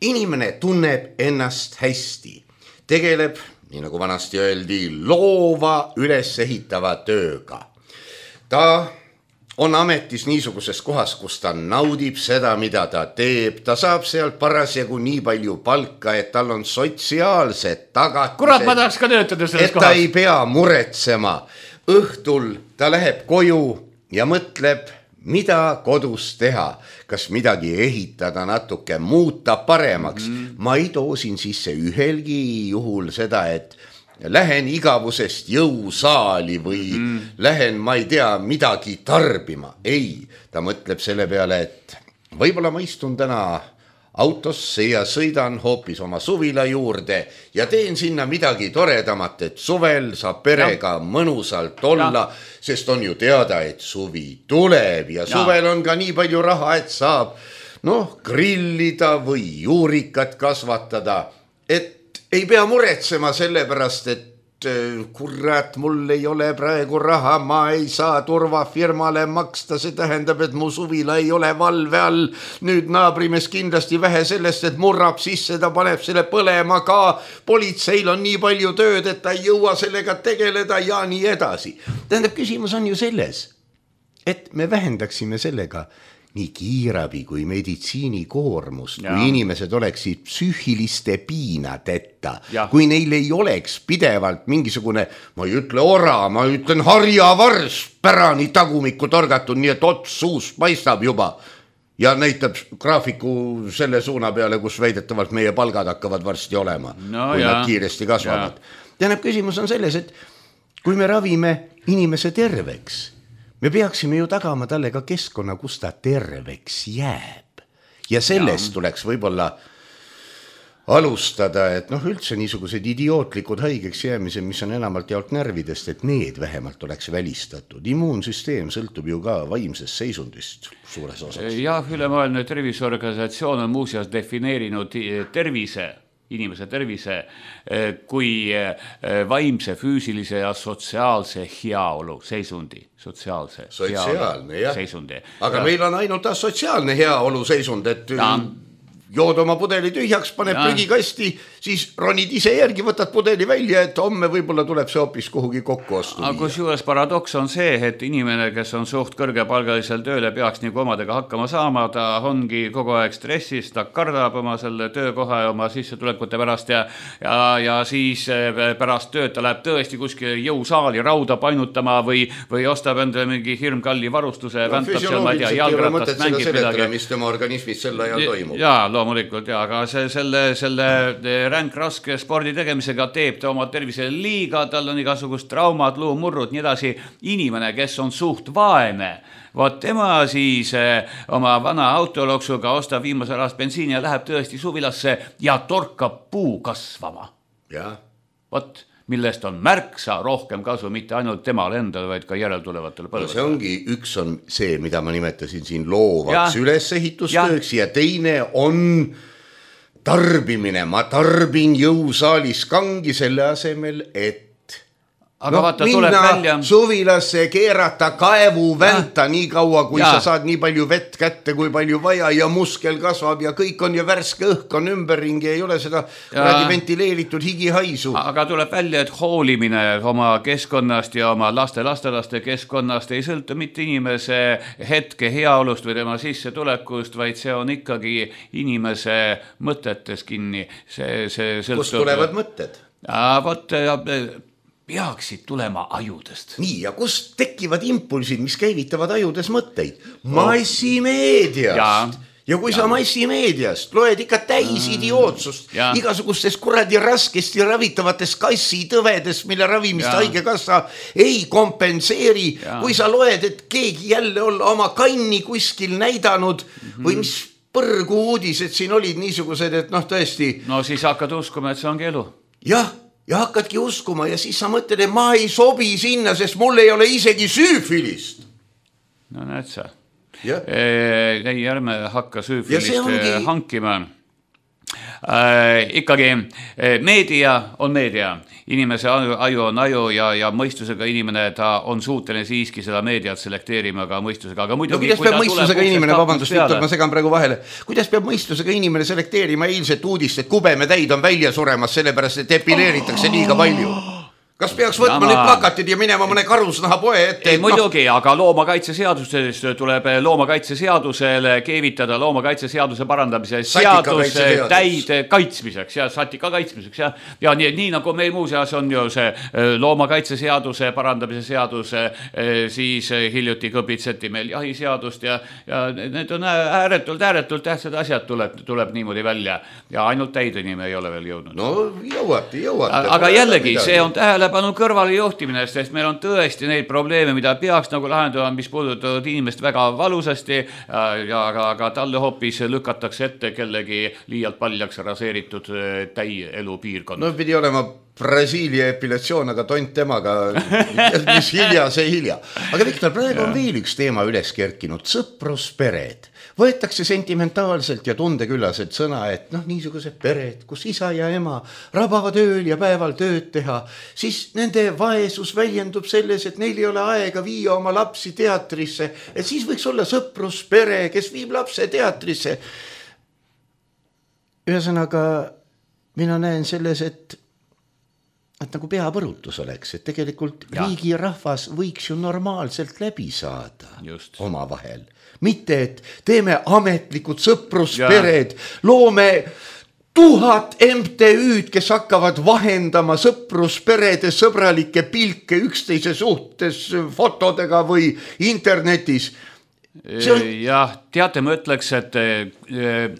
inimene tunneb ennast hästi, tegeleb, nii nagu vanasti öeldi, loova ülesehitava tööga, ta on ametis niisuguses kohas, kus ta naudib seda, mida ta teeb. Ta saab sealt parasjagu nii palju palka, et tal on sotsiaalsed tagatised. Kurat, ma tahaks ka töötada selles kohas. Et ta ei pea muretsema. Õhtul ta läheb koju ja mõtleb, mida kodus teha. Kas midagi ehitada, natuke muuta paremaks. Ma ei too siin sisse ühelgi juhul seda, et lähen igavusest jõusaali või lähen, ma ei tea, midagi tarbima. Ei, ta mõtleb selle peale, et võib-olla ma istun täna autosse ja sõidan hoopis oma suvila juurde ja teen sinna midagi toredamat, et suvel saab perega mõnusalt olla, sest on ju teada, et suvi tuleb ja suvel on ka nii palju raha, et saab grillida või juurikat kasvatada, et ei pea muretsema selle pärast, et kurat, mul ei ole praegu raha, ma ei saa turvafirmale maksta, see tähendab, et mu suvila ei ole valve all. Nüüd naabrimees kindlasti vähe sellest, et murrab sisse, ta paneb selle põlema ka. Politseil on nii palju tööd, et ta ei jõua sellega tegeleda ja nii edasi. Tähendab, küsimus on ju selles, et me vähendaksime sellega nii kiirabi kui meditsiini koormust, kui inimesed oleksid psüühiliste piinadeta, kui neil ei oleks pidevalt mingisugune, ma ei ütle ora, ma ütlen harjavars pärani tagumikku torgatud, nii et ots suust paistab juba ja näitab graafiku selle suuna peale, kus väidetavalt meie palgad hakkavad varsti olema, kui nad kiiresti kasvavad. Tähendab, küsimus on selles, et kui me ravime inimese terveks, me peaksime ju tagama talle ka keskkonna, kus ta terveks jääb. Ja sellest tuleks võib-olla alustada, et üldse niisugused idiootlikud haigeks jäämised, mis on enamalt jaolt närvidest, et need vähemalt oleks välistatud. Immuunsüsteem sõltub ju ka vaimsest seisundist suures osas. Jah, ülemaailmne terviseorganisatsioon on muuseas defineerinud inimese tervise kui vaimse, füüsilise ja sotsiaalse heaolu seisundi. Sotsiaalne, jah. Seisundi. Aga meil on ainult sotsiaalne heaolu seisund, et jood oma pudeli tühjaks, paneb prügikasti, siis ronid ise järgi, võtad pudeli välja, et homme võib-olla tuleb see hoopis kuhugi kokku ostu. Aga kusjuures paradoks on see, et inimene, kes on suht kõrgepalgalisel tööle, peaks nagu omadega hakkama saama, ta ongi kogu aeg stressis, ta kardab oma selle töökoha ja oma sissetulekute pärast ja siis pärast tööd ta läheb tõesti kuskil jõusaali rauda painutama või ostab endale mingi hirmkalli varustuse, väntab seal, ma ei tea, jalgratast mängib midagi. Mis tema organismis sel ajal toimub. Loomulikult, aga selle ränk raske spordi tegemisega teeb ta oma tervisele liiga, tal on igasugust traumad, luumurrud, nii edasi. Inimene, kes on suht vaene, vot tema siis oma vana autoloksuga ostab viimasel ajast bensiini ja läheb tõesti suvilasse ja torkab puu kasvama. Vot, millest on märksa rohkem kasu, mitte ainult temal endal, vaid ka järeltulevatele põlvedele. See ongi, üks on see, mida ma nimetasin siin loovaks ülesehitustööks ja teine on tarbimine. Ma tarbin jõusaalis kangi selle asemel, et minna suvilasse, keerata kaevu vänta nii kaua, kui sa saad nii palju vett kätte, kui palju vaja ja muskel kasvab ja kõik on ja värske õhk on ümberringi ja ei ole seda ventileeritud higihaisu. Aga tuleb välja, et hoolimine oma keskkonnast ja oma lastelaste keskkonnast ei sõltu mitte inimese hetke heaolust või tema sissetulekust, vaid see on ikkagi inimese mõtetes kinni. Kust tulevad mõtted? Peaksid tulema ajudest. Nii, ja kust tekivad impulsid, mis käivitavad ajudes mõtteid? Massimeediast. Ja kui sa massimeediast loed ikka täis idiootsust, igasugustest kuradi raskesti ravitavatest kassitõvedest, mille ravimist haigekassa ei kompenseeri. Kui sa loed, et keegi jälle olla oma kanni kuskil näidanud või mis põrgu uudised siin olid niisugused, et tõesti. No siis hakkad uskuma, et see ongi elu. Jah. Ja hakkadki uskuma ja siis sa mõtled, et ma ei sobi sinna, sest mul ei ole isegi süüfilist. No näed sa. Ei, ärme hakka süüfilist hankima. Ikkagi meedia on meedia. Inimese aju on aju ja mõistusega inimene, ta on suuteline siiski seda meediat selekteerima ka mõistusega. Aga muidugi, kuidas peab mõistusega inimene, vabandust, Viktor, ma segan praegu vahele. Kuidas peab mõistusega inimene selekteerima eilset uudist, et kubemetäid on välja suremas, sellepärast, et epileeritakse liiga palju? Kas peaks võtma nüüd plakatid ja minema mõne karusnaha poe ette? Ei, muidugi, aga loomakaitseseadusest tuleb loomakaitseseadusele keevitada loomakaitseseaduse parandamise seadus täide kaitsmiseks ja satika kaitsmiseks. Ja nii nagu meil muuseas on ju see loomakaitseseaduse parandamise seadus, siis hiljuti kõpitseti meil jahiseadust ja need on ääretult tähtsad asjad tuleb niimoodi välja ja ainult täideni me ei ole veel jõudnud. No jõuate. Aga jällegi, see on tähelepanu kõrvale juhtimine, sest meil on tõesti neid probleeme, mida peaks nagu lahendama, mis puudutavad inimest väga valusasti, aga talle hoopis lükatakse ette kellegi liialt paljaks raseeritud täielu piirkond. No pidi olema Brasiilia epilatsioon, aga tont temaga, mis hilja, see hilja. Aga Viktor, praegu on veel üks teema üles kerkinud, sõpruspered. Võetakse sentimentaalselt ja tundeküllaselt sõna, et niisugused pered, kus isa ja ema rabavad ööl ja päeval tööd teha, siis nende vaesus väljendub selles, et neil ei ole aega viia oma lapsi teatrisse, et siis võiks olla sõpruspere, kes viib lapse teatrisse. Ühesõnaga, mina näen selles, et nagu peapõrutus oleks, et tegelikult riigi rahvas võiks ju normaalselt läbi saada omavahel. Mitte, et teeme ametlikud sõpruspered, loome 1000 MTÜ-d, kes hakkavad vahendama sõprusperede sõbralikke pilke üksteise suhtes fotodega või internetis. Jah, teate, ma ütleks, et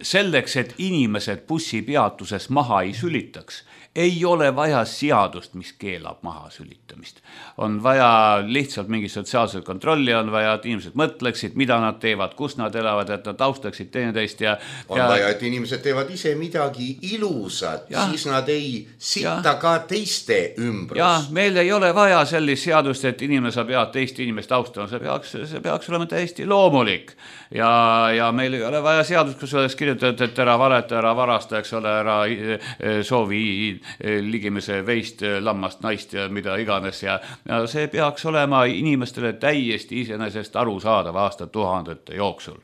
selleks, et inimesed bussipeatuses maha ei sülitaks, ei ole vaja seadust, mis keelab maha sülitamist. On vaja lihtsalt mingi sotsiaalset kontrolli, on vaja, et inimesed mõtleksid, mida nad teevad, kus nad elavad, et nad austaksid teineteist. On vaja, et inimesed teevad ise midagi ilusat, siis nad ei sitta ka teiste ümbrust. Ja, meil ei ole vaja sellist seadust, et inimene saab teist inimest austama, see peaks olema täiesti loomulik. Ja meil ei ole vaja seadust, kus oleks kirjutatud, et ära valeta, ära varasta, eks ole, ära soovi ligimise veist, lammast, naist ja mida iganes ja see peaks olema inimestele täiesti iseenesest aru saada aastatuhandete jooksul.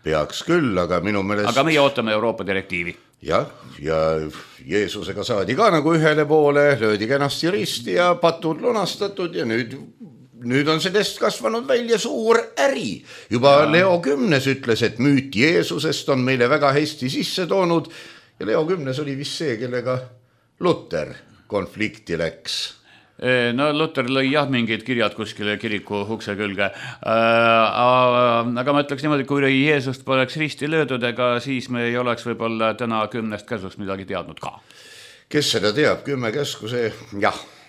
Peaks küll, aga minu meelest... Aga meie ootame Euroopa direktiivi. Ja Jeesusega saadi ka nagu ühele poole, löödi kenasti risti ja patud lunastatud ja nüüd on sellest kasvanud välja suur äri. Juba Leo 10 ütles, et müüt Jeesusest on meile väga hästi sisse toonud ja Leo 10 oli vist see, kellega Luter konflikti läks. No Luter lõi mingid kirjad kuskile kiriku ukse külge. Aga ma ütleks niimoodi, kui Jeesust poleks risti löödud, ega siis me ei oleks võib-olla täna 10 käsust midagi teadnud ka. Kes seda teab, 10 käsku see,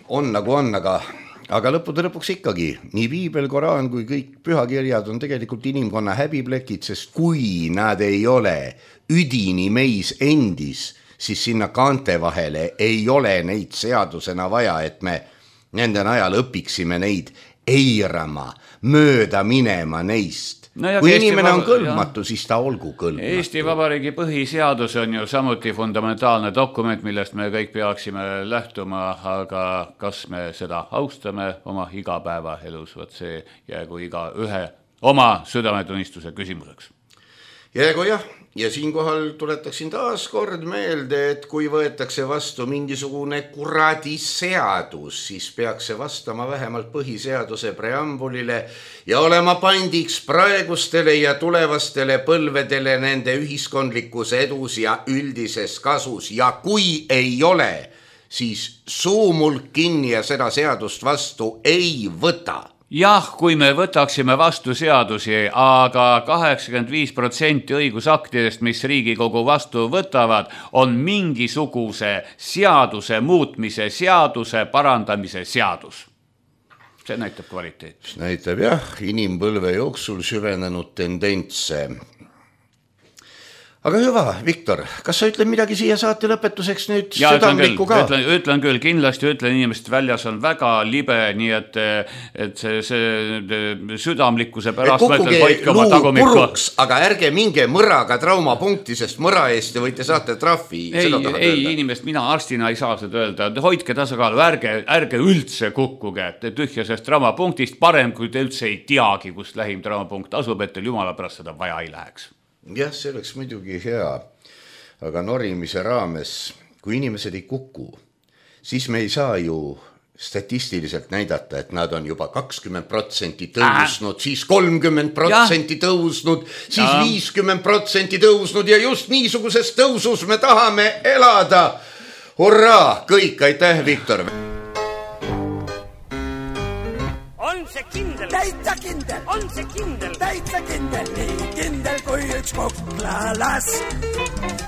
on nagu on, aga lõpuks ikkagi nii Piibel, Koraan kui kõik pühakirjad on tegelikult inimkonna häbiplekid, sest kui nad ei ole üdini meis endis, siis sinna kaante vahele ei ole neid seadusena vaja, et me nende najal õpiksime neid eirama, mööda minema neist. Kui inimene on kõlbmatu, siis ta olgu kõlbmatu. Eesti Vabariigi põhiseadus on ju samuti fundamentaalne dokument, millest me kõik peaksime lähtuma, aga kas me seda austame oma igapäeva elus, see jäägu iga ühe oma südametunnistuse küsimuseks. Jäägu ja siinkohal tuletaksin taas kord meelde, et kui võetakse vastu mingisugune kuradi seadus, siis peaks see vastama vähemalt põhiseaduse preambulile ja olema pandiks praegustele ja tulevastele põlvedele nende ühiskondlikus edus ja üldises kasus. Ja kui ei ole, siis suumulk kinni ja seda seadust vastu ei võta. Jah, kui me võtaksime vastu seadusi, aga 85% õigusaktidest, mis Riigikogu vastu võtavad, on mingisuguse seaduse muutmise, seaduse parandamise seadus. See näitab kvaliteet. Näitab inimpõlve jooksul süvenenud tendentse. Aga hüva, Viktor, kas sa ütled midagi siia saate lõpetuseks nüüd südamlikku ka? Ütlen küll, kindlasti ütlen, inimesed väljas on väga libe, nii et see südamlikkuse pärast kukkuge luu puruks, aga ärge minge mõraga traumapunkti, sest mõra eest võite saate trahvi. Ei, inimest, mina arstina ei saa seda öelda. Hoidke tasakaalu, ärge üldse kukkuge tühjasest traumapunktist, parem kui te üldse ei teagi, kus lähim traumapunkt asub, et teil jumala pärast seda vaja ei läheks. Jah, see oleks muidugi hea, aga norimise raames, kui inimesed ei kuku, siis me ei saa ju statistiliselt näidata, et nad on juba 20% tõusnud, siis 30% tõusnud, siis 50% tõusnud ja just niisuguses tõusus me tahame elada. Hurraa, kõik, aitäh, Viktor! Täitsa kindel, on see kindel, täitsa kindel, nii kindel kui üks koklalas.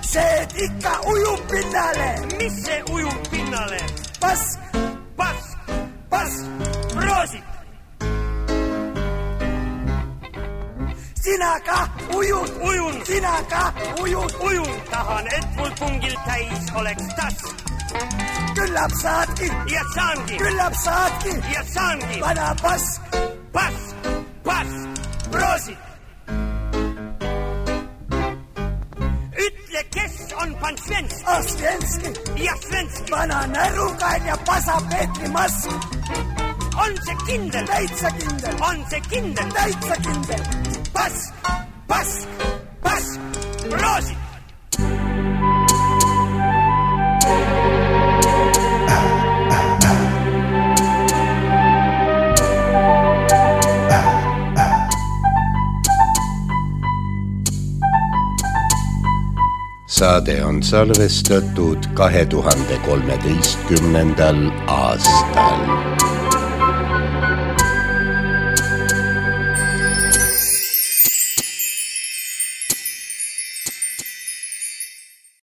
See ikka ujub pinnale. Mis see ujub pinnale? Pask, roosid. Sina ka ujud, sina ka ujud. Tahan, et mul pungil täis oleks tass. Küllap saadki ja saangi, küllap saadki ja saangi, vana pask, proosid. Ütle, kes on pan Svenski? Svenski ja Svenski. Vana närukain ja pasa Peetri mask. On see kindel? Täitsa kindel. On see kindel? Täitsa kindel. Pask, proosid. Saade on salvestatud 2013. aastal.